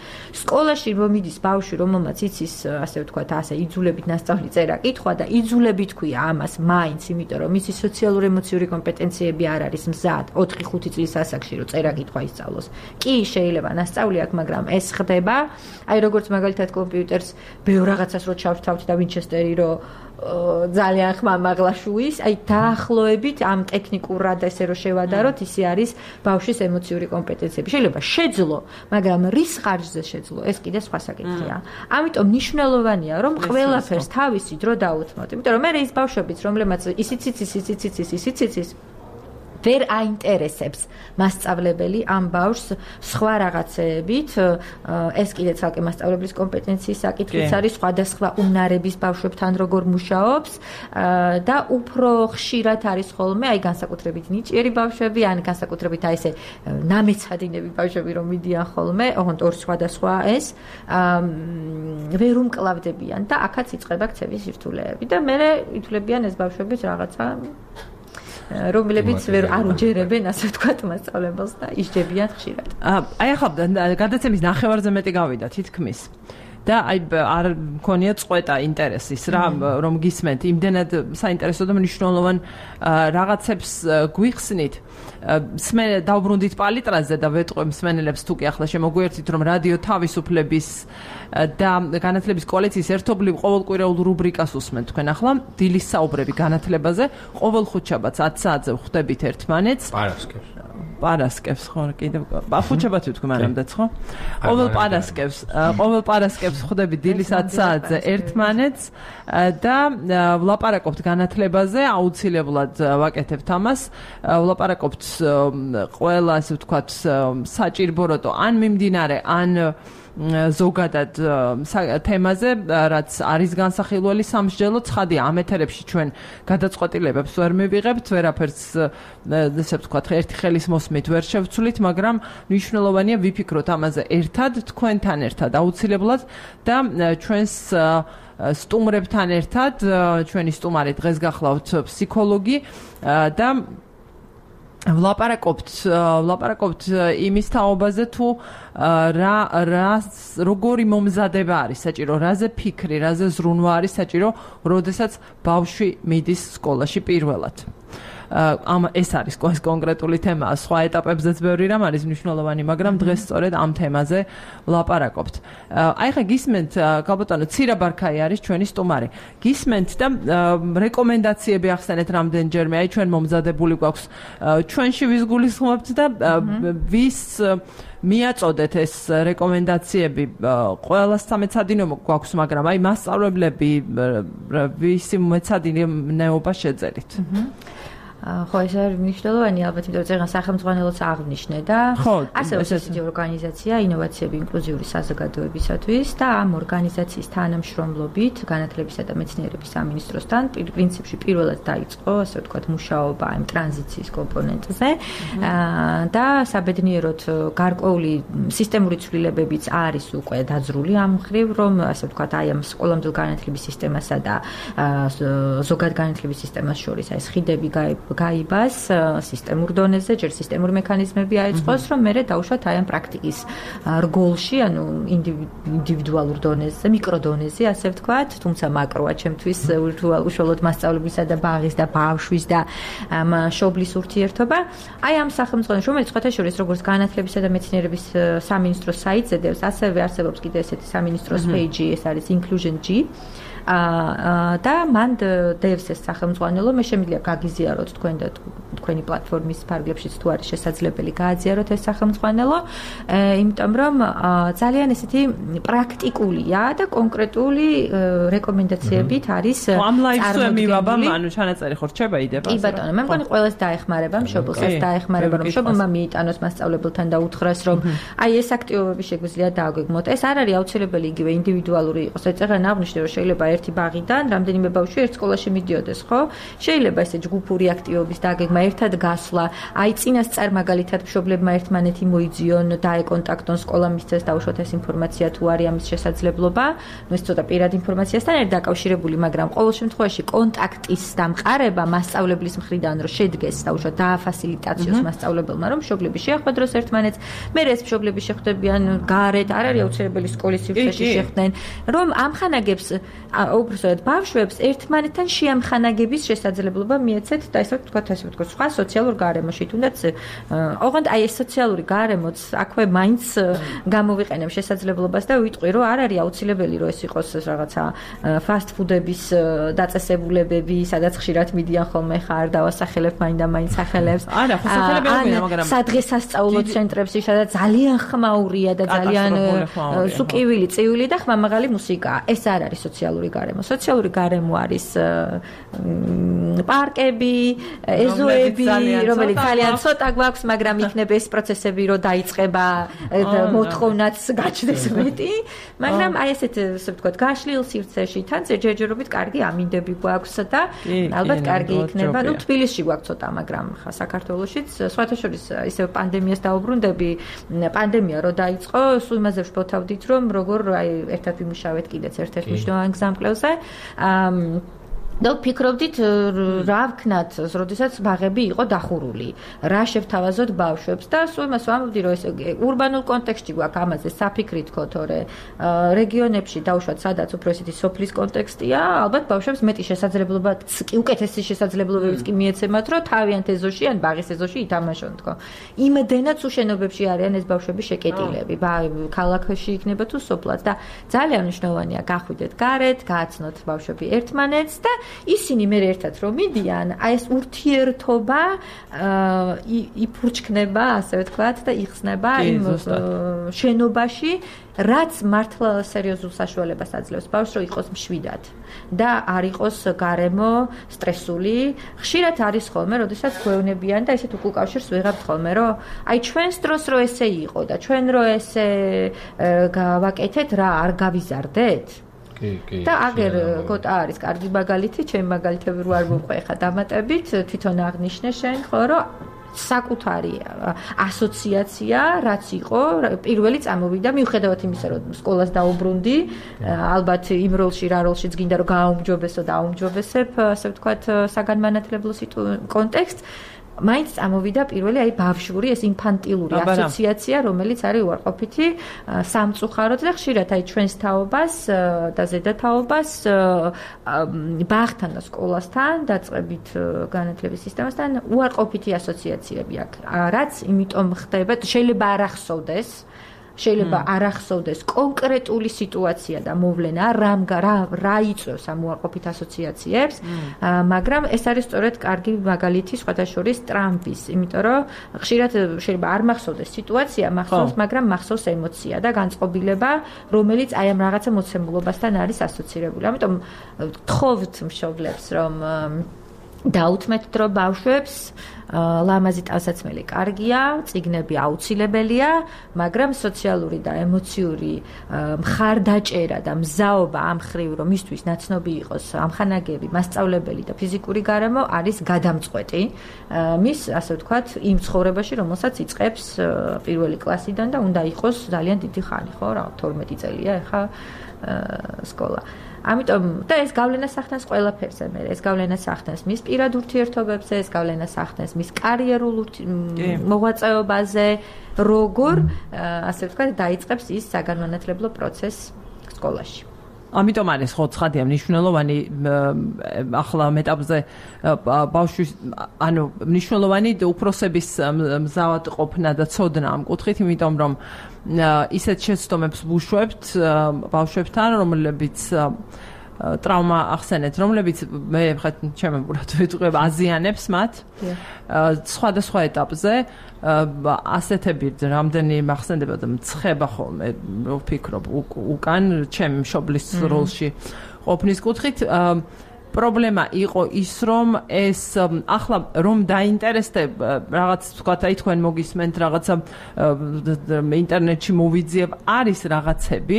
სკოლაში რომ მიდის ბავშვი, რომელმაც იცის, ასე ვთქვათ, ასე იძულებით ნასწავლი წერა-კითხვა და იძულებით ქვია ამას მაინც, იმიტომ რომ მისი სოციალურ-ემოციური კომპეტენციები არ არის მზად ოთხი ხუთი წლის ასაკში რომ წერა-კითხვა ისწავლოს. კი შეიძლება ნასწავლი აქვს, მაგრამ ეს ხდება, აი როგორც მაგალითად კომპიუტერს ბევრ რაღაცას რო ჩავთავთ და ვინჩესტერი რო ძალიან ხმამაღლა შუის, აი დაახლოებით ამ ტექნიკურად ესე რო შევადაროთ, ისე არის ბავშვის ემოციური კომპეტენციები. შეიძლება შეძლო, მაგრამ რის ხარჯზე შეძლო, ეს კიდე სხვა საკითხია. ამიტომ მნიშვნელოვანია, რომ ყველაფერს თავისი დრო დაუთმოთ. იმიტომ რომ მე ის ბავშვებიც, რომლებმაც ისიც იცის, ისიც იცის, ისიც იცის, ვერ აინტერესებს მასწავლებელი ამ ბავშვს სხვა რაღაცეებით, ეს კიდე ცალკე მასწავლებლის კომპეტენციის საკითხიც არის, სხვადასხვა უნარების ბავშვებთან როგორ მუშაობს და უფრო ხშირად არის ხოლმე, აი განსაკუთრებით ნიჭიერი ბავშვები, ან განსაკუთრებით აი ესე ნამეცადინები ბავშვები რომ მიდიან ხოლმე, ოღონდ ორ სხვადასხვა ეს ვერ უმკლავდებიან და აქაც იწყება ქცევის სირთულეები და მე ითვლებიან ეს ბავშვებიც რაღაცა რომლებიც ვერ არ უჯერებენ, ასე ვთქვათ, მასწავლებელს და ისჯებიან ხშირად. აი ახლა გადაცემის ნახევარზე მეტი გავიდა თითქმის. და აი არ მქონია წყვეტა ინტერესის რა რომ გისმენთ იმდენად საინტერესო და მნიშვნელოვან რაღაცებს გვიხსნით სმენ დავბრუნდით პალიტრაზე და ვეტყვი მსმენელებს თუ კი ახლა შემოგვიერთით რომ რადიო თავისუფლების და განათლების კოალიციის ერთობლივ ყოველკვირეულ რუბრიკას უსმენთ თქვენ ახლა დილის საუბრები განათლებაზე ყოველ ხუთშაბათს ათ საათზე ვხვდებით ერთმანეთს პარასკევს პარასკევს ხო კიდევ ხუთშაბათი თქვი მანამდეც ხო ყოველ პარასკევს ყოველ პარასკევს ხვდები დილის ათ საათზე ერთმანეთს და ვლაპარაკობთ განათლებაზე აუცილებლად ვაკეთებთ ამას ვლაპარაკობთ ყველა ასე ვთქვათ საჭირბოროტო ან მიმდინარე ან ზოგადად თემაზე, რაც არის განსახილველი სამსჯელო, ცხადია, ამ ეთერებში ჩვენ გადაწყვეტილებებს ვერ მივიღებთ, ვერაფერს, ესე ვთქვათ, ერთი ხელის მოსმით ვერ შევცვლით, მაგრამ მნიშვნელოვანია ვიფიქროთ ამაზე ერთად, თქვენთან ერთად აუცილებლად და ჩვენს სტუმრებთან ერთად, ჩვენი სტუმარი დღეს გახლავთ ფსიქოლოგი და ვლაპარაკობთ ვლაპარაკობთ იმის თაობაზე თუ რა რა როგორი მომზადება არის საჭირო რაზე ფიქრი რაზე ზრუნვა არის საჭირო როდესაც ბავშვი მიდის სკოლაში პირველად ამ ეს არის კონკრეტული თემა სხვა ეტაპებზეც ბევრი რამ არის მნიშვნელოვანი მაგრამ დღეს სწორედ ამ თემაზე ვლაპარაკობთ აი ხა გისმენთ გალბატონო ცირა ბარქაი არის ჩვენი სტუმარი გისმენთ და რეკომენდაციები ახსენეთ რამდენჯერმე აი ჩვენ მომზადებული გვაქვს ჩვენში ვის გულისხმობთ და ვის მიაწოდეთ ეს რეკომენდაციები ყველას სამეცადინეო გვაქვს მაგრამ აი მასწავლებლები ვისი მეცადინეობა შეძერით ხო ეს არის მნიშვნელოვანი ალბათ იმიტომ რომ წეგან სახელმძღვანელოც აღნიშნე და ასევე ესეთი ორგანიზაცია ინოვაციები ინკლუზიური საზოგადოებისათვის და ამ ორგანიზაციის თანამშრომლობით განათლებისა და მეცნიერების სამინისტროსთან პრინციპში პირველად დაიწყო ასე ვთქვათ მუშაობა ამ ტრანზიციის კომპონენტზე და საბედნიეროდ გარკვეული სისტემური ცვლილებებიც არის უკვე დაძრული ამ მხრივ რომ ასე ვთქვათ აი ამ სკოლამდელ განათლების სისტემასა და ზოგად განათლების სისტემას შორის აი ხიდები გაიბას სისტემურ დონეზე, ჯერ სისტემური მექანიზმები აიწყოს, რომ მერე დაუშვათ აი ამ პრაქტიკის რგოლში, ანუ ინდივიდუალურ დონეზე, მიკროდონეზე, ასე ვთქვათ, თუმცა მაკროა ჩემთვის უშუალოდ მასწავლებელისა და ბაღის და ბავშვის და მშობლის ურთიერთობა. აი ამ სახელმწიფოს, რომელიც სხვათა შორის როგორც განათლებისა და მეცნიერების სამინისტროს საიტზე დევს, ასევე არსებობს კიდე ესეთი სამინისტროს პეიჯი, ეს არის Inclusion G. და მან დევს ეს სახელმძღვანელო, მე შემიძლია გაგიზიაროთ თქვენ და თქვენი პლატფორმის ფარგლებშიც თუ არის შესაძლებელი გააზიაროთ ეს სახელმძღვანელო, იმიტომ რომ ძალიან ესეთი პრაქტიკულია და კონკრეტული რეკომენდაციებით არის წარმოდგენილი. ანუ ჩანაწერი ხო რჩება იდეა? კი ბატონო, მე მგონი ყველას დაეხმარება, მშობელსაც დაეხმარება, რომ მშობელმა მიიტანოს მასწავლებელთან და უთხრას, რომ აი ეს აქტივობები შეგვიძლია დააგვეგმოთ. ეს არ არის აუცილებელი იგივე ინდივიდუალური იყოს. ეცაღან აღნიშნე, რომ შეიძლება ერთი ბაღიდან რამდენიმე ბავშვი ერთ სკოლაში მიდიოდეს, ხო? შეიძლება ესე ჯგუფური აქტივობის დაგეგმა, ერთად გასვლა, აი წინასწარ მაგალითად მშობლებმა ერთმანეთი მოიძიონ, დაეკონტაქტონ, სკოლა მისცეს დაუშვათ ეს ინფორმაცია თუ არის ამის შესაძლებლობა. ნუ ეს ცოტა პირად ინფორმაციასთან ერთ დაკავშირებული, მაგრამ ყოველ შემთხვევაში კონტაქტის დამყარება მასწავლებლის მხრიდან რომ შედგეს დაუშვათ დააფასილიტაციოს მასწავლებელმა, რომ მშობლები შეხვედროს ერთმანეთს, მე ეს მშობლები შეხვდებიან გარეთ, არ არის აუცილებელი სკოლის სივრცეში შეხვდნენ, რომ ამხანაგებს უბრალოდ ბავშვებს ერთმანეთთან შეამხანაგების შესაძლებლობა მიეცეთ და ესე ვთქვათ, ასე ვთქვათ, სხვა სოციალურ გარემოში, თუნდაც ოღონდ აი ეს სოციალური გარემოც აქვე მაინც გამოვიყენებ შესაძლებლობას და ვიტყვი, რომ არ არის აუცილებელი, რომ ეს იყოს რაღაცა ფასტ ფუდების დაწესებულებები, სადაც ხშირად მიდიან ხოლმე ხარ დავასახელებ მაინდა მაინც სახელებს. არა, ხო სახელები არ გვინდა, მაგრამ სადღესასწაულო ცენტრებში, სადაც ძალიან ხმაურია და ძალიან სუკივილი, წივილი და ხმამაღალი მუსიკაა. ეს არ არის სოციალური გარემო. სოციალური გარემო არის პარკები, ეზოები, რომელიც ძალიან ცოტა გვაქვს, მაგრამ იქნება ეს პროცესები, რომ დაიწყება მოთხოვნაც გაჩნდეს მეტი, მაგრამ აი ესეთ, ასე ვთქვათ, გაშლილ სივრცეში თან ჯერჯერობით კარგი ამინდები გვაქვს და ალბათ კარგი იქნება. ნუ თბილისში გვაქვს ცოტა, მაგრამ ხა საქართველოშიც სხვათა შორის ისე პანდემიას დაუბრუნდები, პანდემია რო დაიწყო, სულ იმაზე ვშფოთავდით, რომ როგორ აი ერთად ვიმუშავეთ კიდეც ერთ-ერთ მნიშვნელოვან გზამკვლევზე. და ვფიქრობდით რა ვქნათ, როდესაც ბაღები იყო დახურული, რა შევთავაზოთ ბავშვებს და სულ იმას ვამბობდი, რომ ეს ურბანულ კონტექსტში გვაქვს ამაზე საფიქრი თქო, თორე რეგიონებში დაუშვათ, სადაც უფრო ესეთი სოფლის კონტექსტია, ალბათ ბავშვებს მეტი შესაძლებლობა, უკეთესი შესაძლებლობებიც კი მიეცემათ, რომ თავიანთ ეზოში ან ბაღის ეზოში ითამაშონ თქო. იმდენად უშენობებში არიან ეს ბავშვები შეკეტილები, ქალაქში იქნება თუ სოფლად და ძალიან მნიშვნელოვანია გახვიდეთ გარეთ, გააცნოთ ბავშვები ერთმანეთს და ისინი მე ერთად რომ მიდიან, აი ეს ურთიერთობა იფურჩქნება, ასე ვთქვათ და იხსნება იმ შენობაში, რაც მართლა სერიოზულ საშუალებას აძლევს ბავშვს, რომ იყოს მშვიდად და არ იყოს გარემო სტრესული. ხშირად არის ხოლმე, როდესაც გვეუბნებიან და ესეთ უკავშირს ვიღებთ ხოლმე, რომ აი ჩვენს დროს რო ესე იყო და ჩვენ რო ესე გავაკეთეთ, რა არ გავიზარდეთ? და აგერ გოტა არის კარგი მაგალითი, ჩემი მაგალითები რო არ მოვყვე ხა დამატებით, თვითონ აღნიშნე შენ, ხო, რომ საკუთარი ასოციაცია, რაც იყო, პირველი წამოვიდა, მიუხედავად იმისა, რომ სკოლას დაუბრუნდი, ალბათ იმ როლში, რა როლშიც გინდა რომ გააუმჯობესო და აუმჯობესებ, ასე ვთქვათ, საგანმანათლებლო კონტექსტს. მაინც წამოვიდა პირველი აი ბავშვური ეს ინფანტილური ასოციაცია, რომელიც არის უარყოფითი სამწუხაროდ და ხშირად აი ჩვენს თაობას და ზედათაობას ბაღთან და სკოლასთან დაწყებით განათლების სისტემასთან უარყოფითი ასოციაციები აქვს. რაც იმიტომ ხდება, შეიძლება არ ახსოვდეს შეიძლება არ ახსოვდეს კონკრეტული სიტუაცია და მოვლენა, რამ რა რა იწვევს ამ უარყოფით ასოციაციებს, მაგრამ ეს არის სწორედ კარგი მაგალითი სხვათა შორის ტრამპის, იმიტომ რომ ხშირად შეიძლება არ მახსოვდეს სიტუაცია, მახსოვს, მაგრამ მახსოვს ემოცია და განწყობილება, რომელიც აი ამ რაღაცა მოცემულობასთან არის ასოცირებული. ამიტომ გთხოვთ მშობლებს, რომ დაუთმეთ დრო ბავშვებს, ლამაზი ტანსაცმელი კარგია, წიგნები აუცილებელია, მაგრამ სოციალური და ემოციური მხარდაჭერა და მზაობა ამ ხრივ, რომ მისთვის ნაცნობი იყოს ამხანაგები, მასწავლებელი და ფიზიკური გარემო არის გადამწყვეტი მის, ასე ვთქვათ, იმ ცხოვრებაში, რომელსაც იწყებს პირველი კლასიდან და უნდა იყოს ძალიან დიდი ხანი, ხო, რა, თორმეტი წელია ეხა სკოლა. ამიტომ და ეს გავლენას ახდენს ყველაფერზე, მე ეს გავლენას ახდენს მის პირად ურთიერთობებზე, ეს გავლენას ახდენს მის კარიერულ მოღვაწეობაზე, როგორ, ასე ვთქვათ, დაიწყებს ის საგანმანათლებლო პროცესს სკოლაში. ამიტომ არის ხო ცხადია მნიშვნელოვანი ახლა მეტაპზე ბავშვის ანუ მნიშვნელოვანი უფროსების მზავად ყოფნა და ცოდნა ამ კუთხით, იმიტომ რომ ისეთ შეცდომებს ვუშვებთ ბავშვებთან, რომლებიც ტრავმა ახსენეთ, რომლებიც მე ხეთ ჩემებურად ვიტყვებ აზიანებს მათ. სხვადასხვა ეტაპზე ასეთები რამდენი მახსენდება და მცხება ხოლმე ვფიქრობ უკან ჩემი მშობლის როლში ყოფნის კუთხით პრობლემა იყო ის რომ ეს ახლა რომ დაინტერესდებ რაღაც თქვათ აი თქვენ მოგისმენთ რაღაცა ინტერნეტში მოვიძიებ არის რაღაცები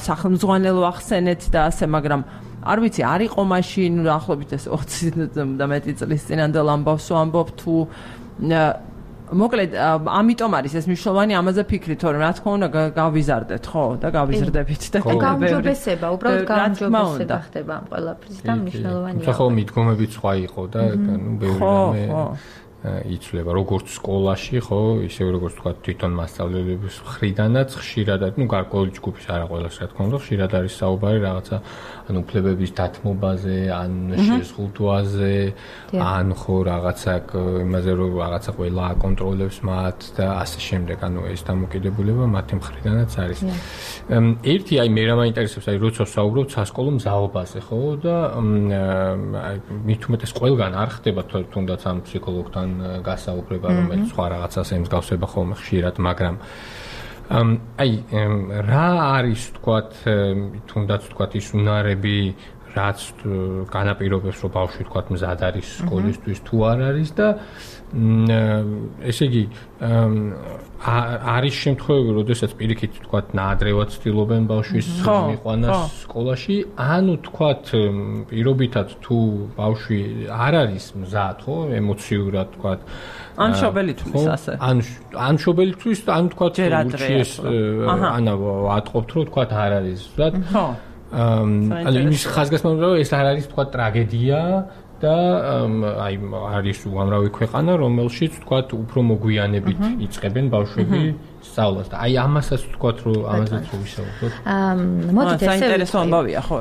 სახელმძღვანელო ახსენეთ და ასე მაგრამ არ ვიცი არ იყო მაშინ ახლობით ეს ოცი და მეტი წლის წინანდელ ამბავს ვამბობ თუ მოკლედ ამიტომ არის ეს მნიშვნელოვანი ამაზე ფიქრით რომ რა თქმა უნდა გავიზარდეთ ხო და გავიზრდებით და გაუმჯობესება უბრალოდ გაუმჯობესება ხდება ამ ყველაფრის და მნიშვნელოვანია ხო მიდგომებით სხვა იყო და ნუ ბევრი რამე იცვლება როგორც სკოლაში ხო ისე როგორც თქვა თვითონ მასწავლებლების მხრიდანაც ხშირადად ნუ გარკვეული ჯგუფის არა ყველას რა თქმა უნდა ხშირად არის საუბარი რაღაცა ან უფლებების დათმობაზე ან შეზღუდვაზე ან ხო რაღაცა იმაზე რომ რაღაცა ყველა აკონტროლებს მათ და ასე შემდეგ ანუ ეს დამოკიდებულება მათი მხრიდანაც არის ერთი აი მე რა მაინტერესებს აი როცა საუბრობთ სასკოლო მზაობაზე ხო და აი მით უმეტეს ყველგან არ ხდება თუნდაც ამ ფსიქოლოგთან გასაუბრება რომელიც სხვა რაღაცას ემსგავსება ხოლმე ხშირად მაგრამ აი რა არის თქვათ თუნდაც თქვათ ის უნარები რაც განაპირობებს რომ ბავშვი თქვათ მზად არის სკოლისთვის თუ არ არის და ესე იგი არის შემთხვევები, როდესაც პირიქით თქვათ ნაადრევად ცდილობენ ბავშვის მიყვანას სკოლაში, ანუ თქვათ პირობითად თუ ბავშვი არ არის მზად, ხო, ემოციურად თქვათ ან შობელისთვის ასე. ან ან შობელისთვის, ან თქვათ ურჩიეს ანა ვატყობთ, რომ თქვათ არ არის მზად. ხო. ანუ იმის ხაზგასმოვიდა, რომ ეს არ არის თქვათ ტრაგედია და აი არის უამრავი ქვეყანა, რომელშიც თქვათ უფრო მოგვიანებით იწყებენ ბავშვები სწავლას და აი ამასაც თქვათ რომ ამასაც ვისაუბროთ. აა მოდით ესე საინტერესო ამბავია ხო?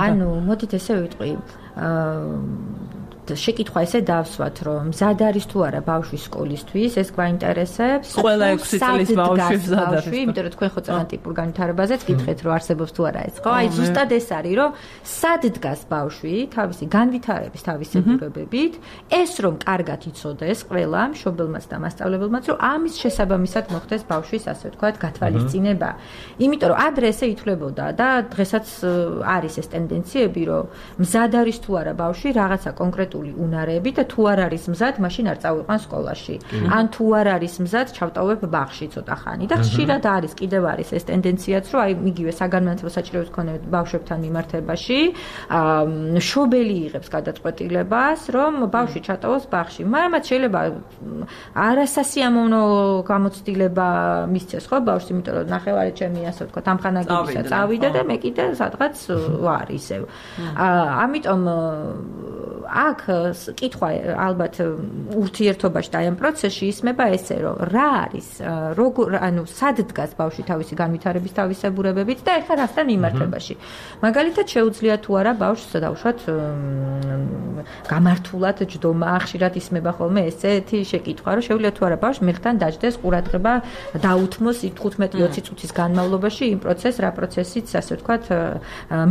ანუ მოდით ესე ვიტყვი შეკითხვა ესე დავსვათ რომ მზად არის თუ არა ბავშვი სკოლისთვის ეს გვაინტერესებს ყველა ექვსი წლის ბავშვი მზად არის იმიტომ რომ თქვენ ხო ძალიან ტიპურ განვითარებაზეც გითხეთ რომ არსებობს თუ არა ეს ხო აი ზუსტად ეს არის რომ სად დგას ბავშვი თავისი განვითარების თავისებურებებით ეს რომ კარგად იცოდეს ყველა მშობელმაც და მასწავლებელმაც რომ ამის შესაბამისად მოხდეს ბავშვის ასე ვთქვათ გათვალისწინება იმიტომ რომ ადრე ესე ითვლებოდა და დღესაც არის ეს ტენდენციები რომ მზად არის თუ არა ბავშვი რაღაცა კონკრეტ უნარები და თუ არ არის მზად, მაშინ არ წავიყვან სკოლაში. ან თუ არ არის მზად, ჩავტოვებ ბაღში ცოტა ხანი. და ხშირად არის, კიდევ არის ეს ტენდენციაც, რომ აი მიგივე საგანმანათლებლო საჭიროების მქონე ბავშვებთან მიმართებაში, შობელი იღებს გადაწყვეტილებას, რომ ბავშვი ჩატოვოს ბაღში. მაგრამ შეიძლება არასასიამოვნო გამოცდილება მისცეს ხო ბავშვს, იმიტომ რომ ნახევარი ჩემი ასე ვთქვათ, ამხანაგებისა წავიდა და მე კიდე სადღაც ვარ ისევ. ამიტომ აქ კითხვა ალბათ ურთიერთობაში და ამ პროცესში ისმება ესე რომ რა არის როგორ ანუ სად დგას ბავშვი თავისი განვითარების თავისებურებებით და ეხლა რასთან მიმართებაში მაგალითად შეუძლია თუ არა ბავშვს დავუშვათ გამართულად ჯდომა ხშირად ისმება ხოლმე ესეთი შეკითხვა რომ შეუძლია თუ არა ბავშვს მერხთან დაждდეს ყურადღება დაუთმოს თხუთმეტი ოცი წუთის განმავლობაში იმ პროცესს რა პროცესიც ასე ვთქვათ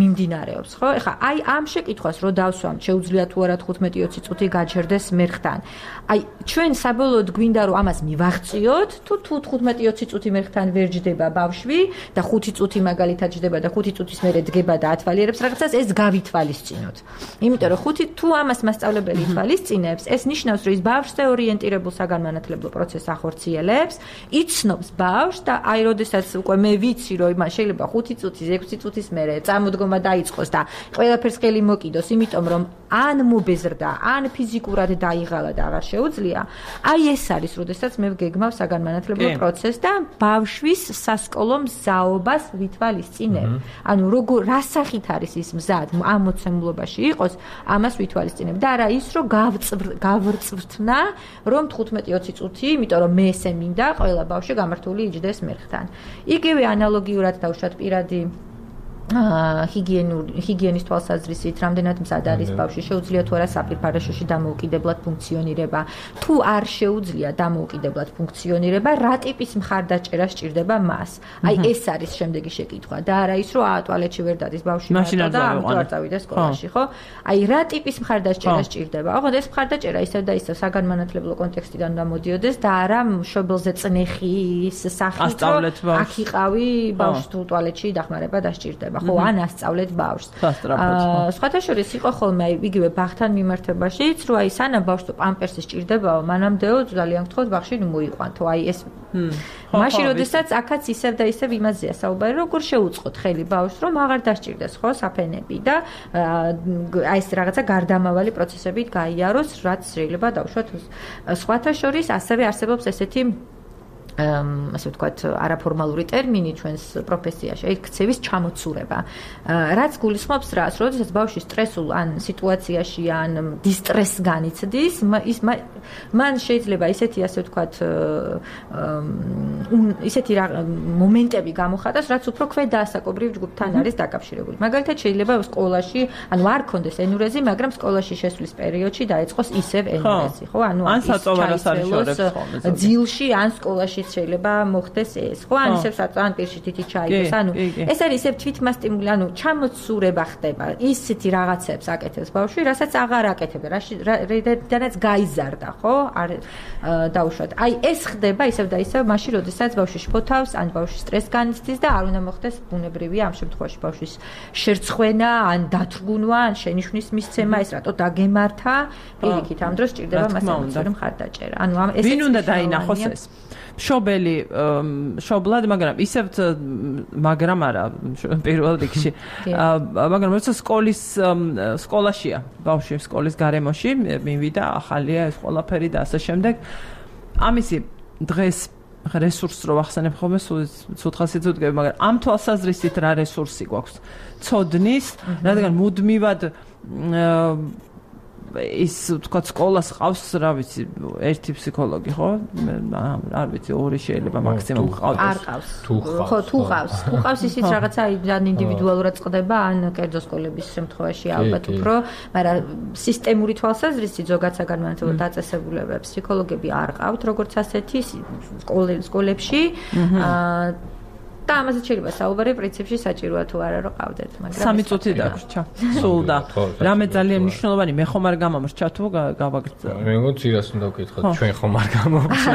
მიმდინარეობს ხო ეხლა აი ამ შეკითხვას რო დავსვამ შეუძლია თუ არა თხუთმეტი ოცი წუთი გაჩერდეს მერხთან. აი ჩვენ საბოლოოდ გვინდა რომ ამას მივაღწიოთ, თუ თუ თხუთმეტი ოცი წუთი მერხთან ვერ ჯდება ბავშვი და ხუთი წუთი მაგალითად ჯდება და ხუთი წუთის მერე დგება და ათვალიერებს რაღაცას, ეს გავითვალისწინოთ. იმიტომ რომ ხუთი თუ ამას მასწავლებელი ითვალისწინებს, ეს ნიშნავს რომ ის ბავშვზე ორიენტირებულ საგანმანათლებლო პროცესს ახორციელებს, იცნობს ბავშვს და აი როდესაც უკვე მე ვიცი რომ იმან შეიძლება ხუთი წუთის, ექვსი წუთის მერე წამოდგომა დაიწყოს და ყველაფერს ხელი მოკიდოს, იმიტომ რომ ან მობეზრდა, ან ფიზიკურად დაიღალა და აღარ შეუძლია. აი ეს არის, როდესაც მე ვგეგმავ საგანმანათლებლო პროცესს და ბავშვის სასკოლო მზაობას ვითვალისწინებ. ანუ როგორ რა სახით არის ის მზად ამ მოცემულობაში იყოს, ამას ვითვალისწინებ და არა ის, რომ გავრწვრთნა, რომ თხუთმეტი ოცი წუთი, იმიტომ რომ მე ესე მინდა, ყველა ბავშვი გამართული იჯდეს მერხთან. იგივე ანალოგიურად დავუშვათ პირადი ჰიგიენური ჰიგიენის თვალსაზრისით, რამდენად მზად არის ბავშვი, შეუძლია თუ არა საპირფარეშოში დამოუკიდებლად ფუნქციონირება, თუ არ შეუძლია დამოუკიდებლად ფუნქციონირება, რა ტიპის მხარდაჭერა სჭირდება მას. აი ეს არის შემდეგი შეკითხვა და არა ის, რომ აა ტუალეტში ვერ დადის ბავშვი მარტო და ამიტომ არ წავიდა სკოლაში, ხო? აი რა ტიპის მხარდაჭერა სჭირდება? ოღონდ ეს მხარდაჭერა ისევ და ისევ საგანმანათლებლო კონტექსტიდან გამოდიოდეს და არა მშობელზე წნეხის სახით, რომ აქ იყავი ბავშვს თუ ტუალეტში დახმარება დასჭირდება. ხო, ან ასწავლეთ ბავშვს. სხვათა შორის იყო ხოლმე აი იგივე ბაღთან მიმართებაშიც, რომ აი სანამ ბავშვს პამპერსი სჭირდებაო, მანამდეო ძალიან გთხოვთ ბავშვი ნუ მოიყვანთო. აი ეს მაშინ როდესაც აქაც ისევ და ისევ იმაზეა საუბარი, როგორ შეუწყოთ ხელი ბავშვს, რომ აღარ დასჭირდეს ხო საფენები და აი ეს რაღაცა გარდამავალი პროცესებით გაიაროს, რაც შეიძლება დავუშვათ. სხვათა შორის ასევე არსებობს ესეთი ასე ვთქვათ, არაფორმალური ტერმინი ჩვენს პროფესიაში, აი ქცევის ჩამოცურება. რაც გულისხმობს რას, როდესაც ბავშვი სტრესულ ან სიტუაციაში ან დისტრესს განიცდის, ის მან შეიძლება ისეთი ასე ვთქვათ, ისეთი მომენტები გამოხატოს, რაც უფრო ქვედაასაკობრივ ჯგუფთან არის დაკავშირებული. მაგალითად, შეიძლება სკოლაში, ანუ არ ქონდეს ენურეზი, მაგრამ სკოლაში შესვლის პერიოდში დაეწყოს ისევ ენურეზი, ხო? ანუ ან საწოვარას არის შორებს ძილში, ან სკოლაში შეიძლება მოხდეს ეს, ხო? ან ისევ საწვან პირში თითი ჩაიგდეს, ანუ ეს არის ისევ თვითმასტიმული, ანუ ჩამოცურება ხდება. ისეთი რაღაცებს აკეთებს ბავშვი, რასაც აღარ აკეთებდა, რადგანაც გაიზარდა, ხო? არ დაუშვათ. აი ეს ხდება ისევ და ისევ მაშინ, როდესაც ბავშვი შფოთავს, ან ბავშვი სტრესს განიცდის და არ უნდა მოხდეს ბუნებრივია ამ შემთხვევაში ბავშვის შერცხვენა, ან დათრგუნვა, ან შენიშვნის მისცემა, ეს რატო დაგემართა, პირიქით ამ დროს სჭირდება მასწავლებელი მხარდაჭერა. ანუ ამ ეს ვინ უნდა დაინახოს ეს? მშობელი მშობლად, მაგრამ ისევ მაგრამ არა პირველ რიგში. მაგრამ როცა სკოლის სკოლაშია, ბავშვი სკოლის გარემოში მივიდა, ახალია ეს ყველაფერი და ასე შემდეგ. ამისი დღეს რესურსს რო ახსენებ ხოლმე, ცუთხასით ვდგები, მაგრამ ამ თვალსაზრისით რა რესურსი გვაქვს? ცოდნის, რადგან მუდმივად ის თქვა სკოლას ყავს, რა ვიცი, ერთი ფსიქოლოგი, ხო? არ ვიცი, ორი შეიძლება მაქსიმუმ ყავდეს. არ ყავს. ხო, თუ ყავს. თუ ყავს ისიც რაღაცა ან ინდივიდუალურად წყდება, ან კერძო სკოლების შემთხვევაში ალბათ უფრო, მაგრამ სისტემური თვალსაზრისით ზოგადად საგანმანათლებლო დაწესებულებებს ფსიქოლოგები არ ყავთ, როგორც ასეთი სკოლებში. და ამაზე შეიძლება საუბარი პრინციპში საჭიროა თუ არა რომ ყავდეთ, მაგრამ სამი წუთი დაგვრჩა. სულ და რამე ძალიან მნიშვნელოვანი, მე ხომ არ გამომრჩა თუ გავაგრძელო. მე მგონი რას უნდა ვკითხოთ, ჩვენ ხომ არ გამომრჩა.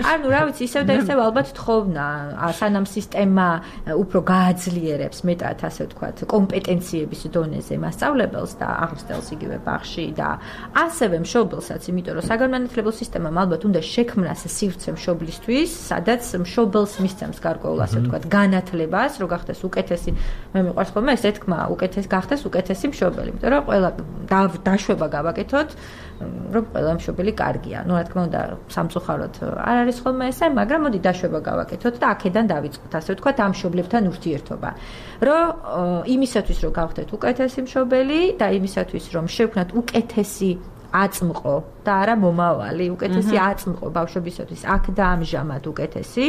ანუ რა ვიცი, ისევ და ისევ ალბათ თხოვნა, სანამ სისტემა უფრო გააძლიერებს მეტად ასე ვთქვათ, კომპეტენციების დონეზე მასწავლებელს და აღზრდელს იგივე ბაღში და ასევე მშობელსაც, იმიტომ რომ საგანმანათლებლო სისტემამ ალბათ უნდა შექმნას სივრცე მშობლისთვის, სადაც მშობელს მისცემს გარკვეულ ასე ვთქვათ, განათლებას, რომ გახდეს უკეთესი, მე მიყვარს ხოლმე ეს თქმა, უკეთესი გახდეს უკეთესი მშობელი, იმიტომ რომ ყველა დაშვება გავაკეთოთ, რომ ყველა მშობელი კარგია. ნუ რა თქმა უნდა, სამწუხაროდ არ არის ხოლმე ესე, მაგრამ მოდი დაშვება გავაკეთოთ და აქედან დავიწყოთ, ასე ვთქვათ, ამ მშობლებთან ურთიერთობა. რომ იმისათვის, რომ გავხდეთ უკეთესი მშობელი და იმისათვის, რომ შევქნათ უკეთესი აწმყო და არა მომავალი, უკეთესი აწმყო ბავშვებისათვის, აქ და ამჟამად უკეთესი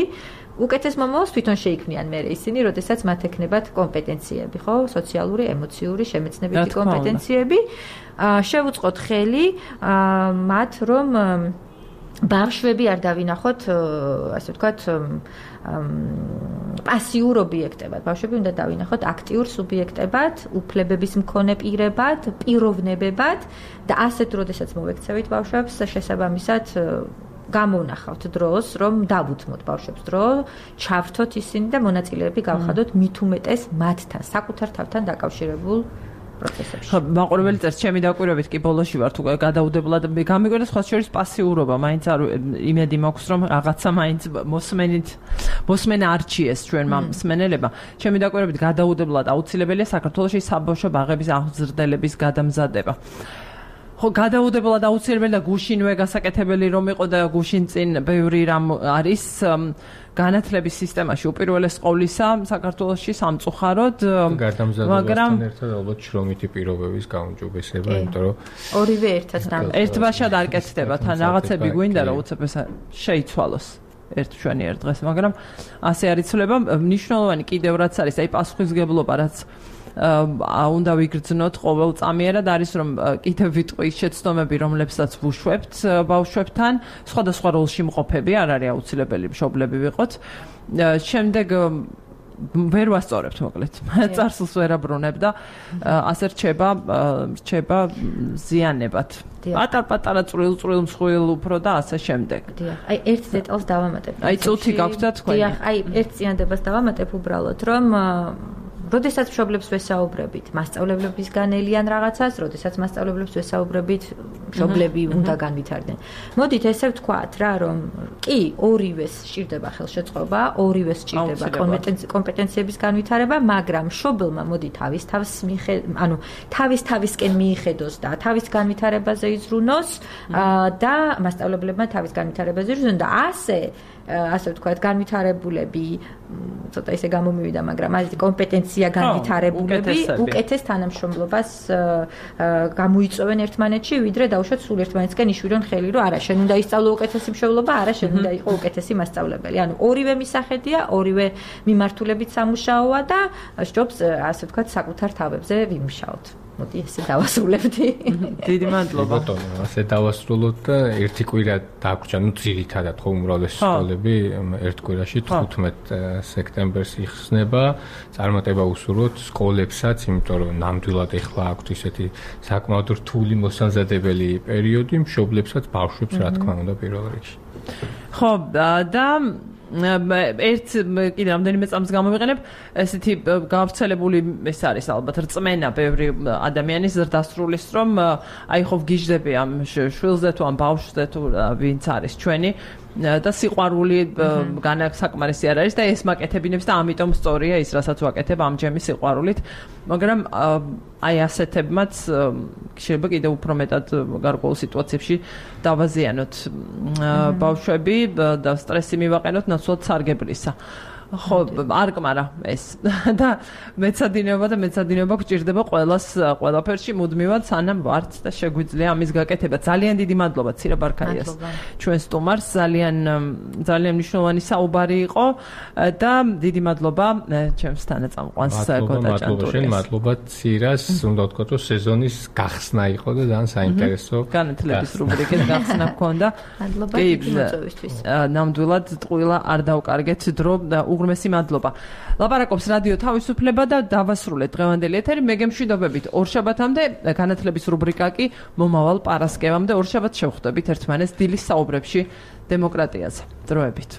უკეთეს მომავალს თვითონ შეიქმნიან მე ისინი, როდესაც მათ ექნებათ კომპეტენციები, ხო? სოციალური, ემოციური, შემეცნებითი კომპეტენციები. შევუწყოთ ხელი მათ, რომ ბავშვები არ დავინახოთ, ასე ვთქვათ, პასიურ ობიექტებად. ბავშვები უნდა დავინახოთ აქტიურ სუბიექტებად, უფლებების მქონე პირებად, პიროვნებებად და ასეთ როდესაც მოვექცევით ბავშვებს, შესაბამისად გამოვნახავთ დროს, რომ დავუთმოთ ბავშვებს დრო, ჩავრთოთ ისინი და მონაწილეები გავხადოთ მით უმეტეს მათთან, საკუთარ თავთან დაკავშირებულ პროცესებში. ხო, მაყურებელი წერს, ჩემი დაკვირვებით კი ბოლოში ვარ თუ გადაუდებლად გამიგვერდა სხვა შორის პასიურობა, მაინც არ იმედი მაქვს, რომ რაღაცა მაინც მოსმენით მოსმენა არჩიეს ჩვენმა მსმენელებმა. ჩემი დაკვირვებით გადაუდებლად აუცილებელია საქართველოში საბავშვო ბაღების აღზრდელების გადამზადება. ხო, გადაუდებლად აუცილებელია და გუშინვე გასაკეთებელი რომ იყო და გუშინ წინ ბევრი რამ არის განათლების სისტემაში უპირველეს ყოვლისა საქართველოში სამწუხაროდ, მაგრამ ერთად ალბათ შრომითი პირობების გაუმჯობესება, იმიტომ რომ ორივე ერთად ერთბაშად არ კეთდება, თან რაღაცები გვინდა რომ უცებ ეს შეიცვალოს. ერთ ჩვენი ერთ დღეს, მაგრამ ასე არ იცვლება. მნიშვნელოვანი კიდევ რაც არის, აი პასუხისგებლობა, რაც უნდა ვიგრძნოთ ყოველწამიერად არის, რომ კიდევ ვიტყვი ის შეცდომები, რომლებსაც ვუშვებთ ბავშვებთან, სხვადასხვა როლში მყოფები, არ არის აუცილებელი მშობლები ვიყოთ. შემდეგ ვერ ვასწორებთ მოკლედ. წარსულს ვერ აბრუნებ და ასე რჩება, რჩება ზიანებად. პატარ-პატარა წვრილ-წვრილ მსხვილ უფრო და ასე შემდეგ. დიახ. აი ერთ დეტალს დავამატებ. აი წუთი გაქვთ და თქვენი. დიახ, აი ერთ ზიანებას დავამატებ უბრალოდ, რომ როდესაც მშობლებს ვესაუბრებით, მასწავლებლების განელიან რაღაცას, როდესაც მასწავლებლებს ვესაუბრებით, მშობლები უნდა განვითარდნენ. მოდით ესე ვთქვათ რა, რომ კი, ორივეს სჭირდება ხელშეწყობა, ორივეს სჭირდება კომპეტენციების განვითარება, მაგრამ მშობელმა მოდი თავის თავს ანუ თავის თავისკენ მიიხედოს და თავის განვითარებაზე იზრუნოს და მასწავლებლებმა თავის განვითარებაზე იზრუნოს და ასე ასე ვთქვათ, განვითარებულები, ცოტა ისე გამომივიდა, მაგრამ ასეთი კომპეტენცია განვითარებულები უკეთეს თანამშრომლობას გამოიწვევენ ერთმანეთში, ვიდრე დაუშვათ სულ ერთმანეთსკენ იშვირონ ხელი, რომ არა, შენ უნდა ისწავლო უკეთესი მშობლობა, არა, შენ უნდა იყო უკეთესი მასწავლებელი. ანუ ორივე მისახედია, ორივე მიმართულებით სამუშაოა და სჯობს, ასე ვთქვათ, საკუთარ თავებზე ვიმუშაოთ. მოდი ესე დავასრულებდი. დიდი მადლობა. ბატონო, ასე დავასრულოთ და ერთი კვირა დაგვრჩა, ნუ ძირითადად ხო უმრავლესი სკოლები ერთ კვირაში თხუთმეტ სექტემბერს იხსნება. წარმატება უსურვოთ სკოლებსაც, იმიტომ რომ ნამდვილად ეხლა აქვთ ისეთი საკმაოდ რთული მოსამზადებელი პერიოდი, მშობლებსაც, ბავშვებს რა თქმა უნდა პირველ რიგში. ხო, და ერთ კიდე რამდენიმე წამს გამოვიყენებ ესეთი გავრცელებული ეს არის ალბათ რწმენა ბევრი ადამიანის ზრდასრულის რომ აი ხო ვგიჟდები ამ შვილზე თუ ამ ბავშვზე თუ ვინც არის ჩვენი და სიყვარული განსაკმარისი არ არის და ეს მაკეთებინებს და ამიტომ სწორია ის რასაც ვაკეთებ ამჯერმი სიყვარულით მაგრამ აი ასეთებმაც შეიძლება კიდევ უფრო მეტად გარკვეულ სიტუაციებში დავაზიანოთ ბავშვები და სტრესი მივაყენოთ ნაცვლად სარგებლისა ხო არ კმარა ეს და მეცადინეობა და მეცადინეობა გჭირდება ყველას ყველაფერში მუდმივად სანამ ვართ და შეგვიძლია ამის გაკეთება ძალიან დიდი მადლობა ცირა ბარქაიას ჩვენ სტუმარს ძალიან ძალიან მნიშვნელოვანი საუბარი იყო და დიდი მადლობა ჩემს თანაწამყვანს გოდაჭანტურიას მადლობა ცირას უნდა ვთქვათ რომ სეზონის გახსნა იყო და ძალიან საინტერესო განათლების რუბრიკის გახსნა ჰქონდა მადლობა დიდი მოწვევისთვის ნამდვილად ტყუილა არ დავკარგეთ დრო და უღრმესი მადლობა. ლაპარაკობს რადიო თავისუფლება და დავასრულეთ დღევანდელი ეთერი. მე გემშვიდობებით ორშაბათამდე, განათლების რუბრიკა კი მომავალ პარასკევამდე ორშაბათს შევხვდებით ერთმანეთს დილის საუბრებში დემოკრატიაზე. დროებით.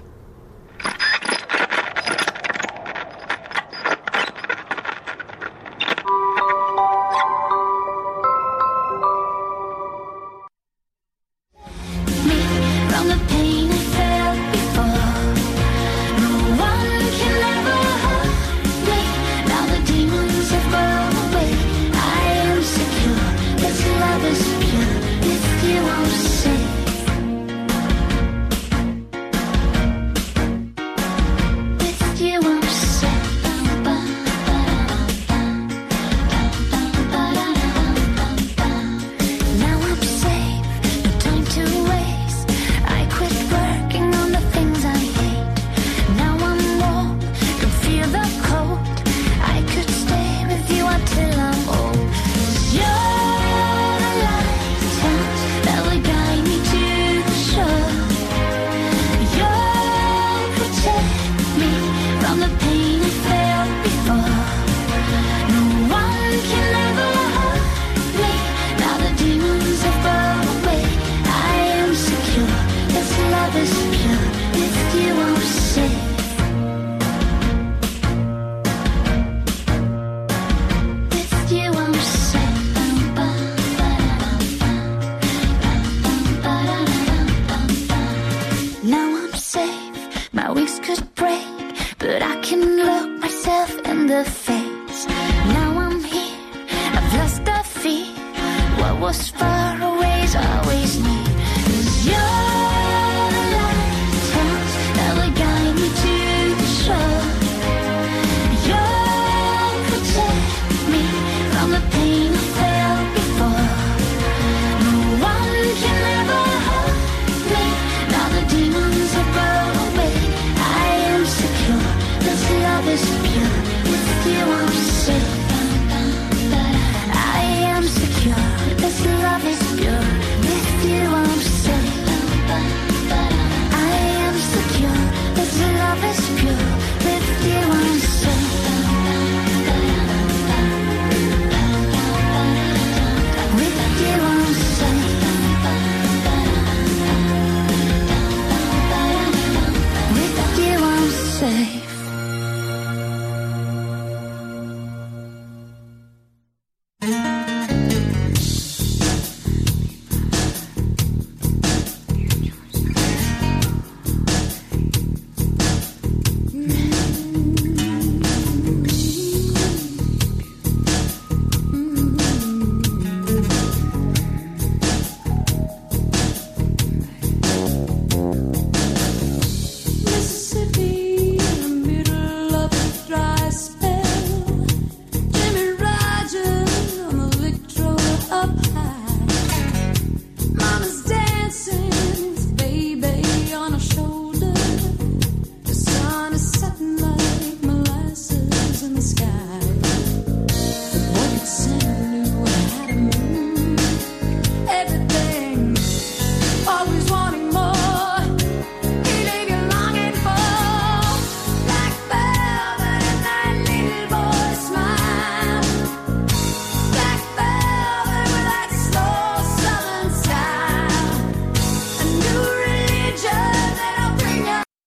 No. Demons have gone away. stay.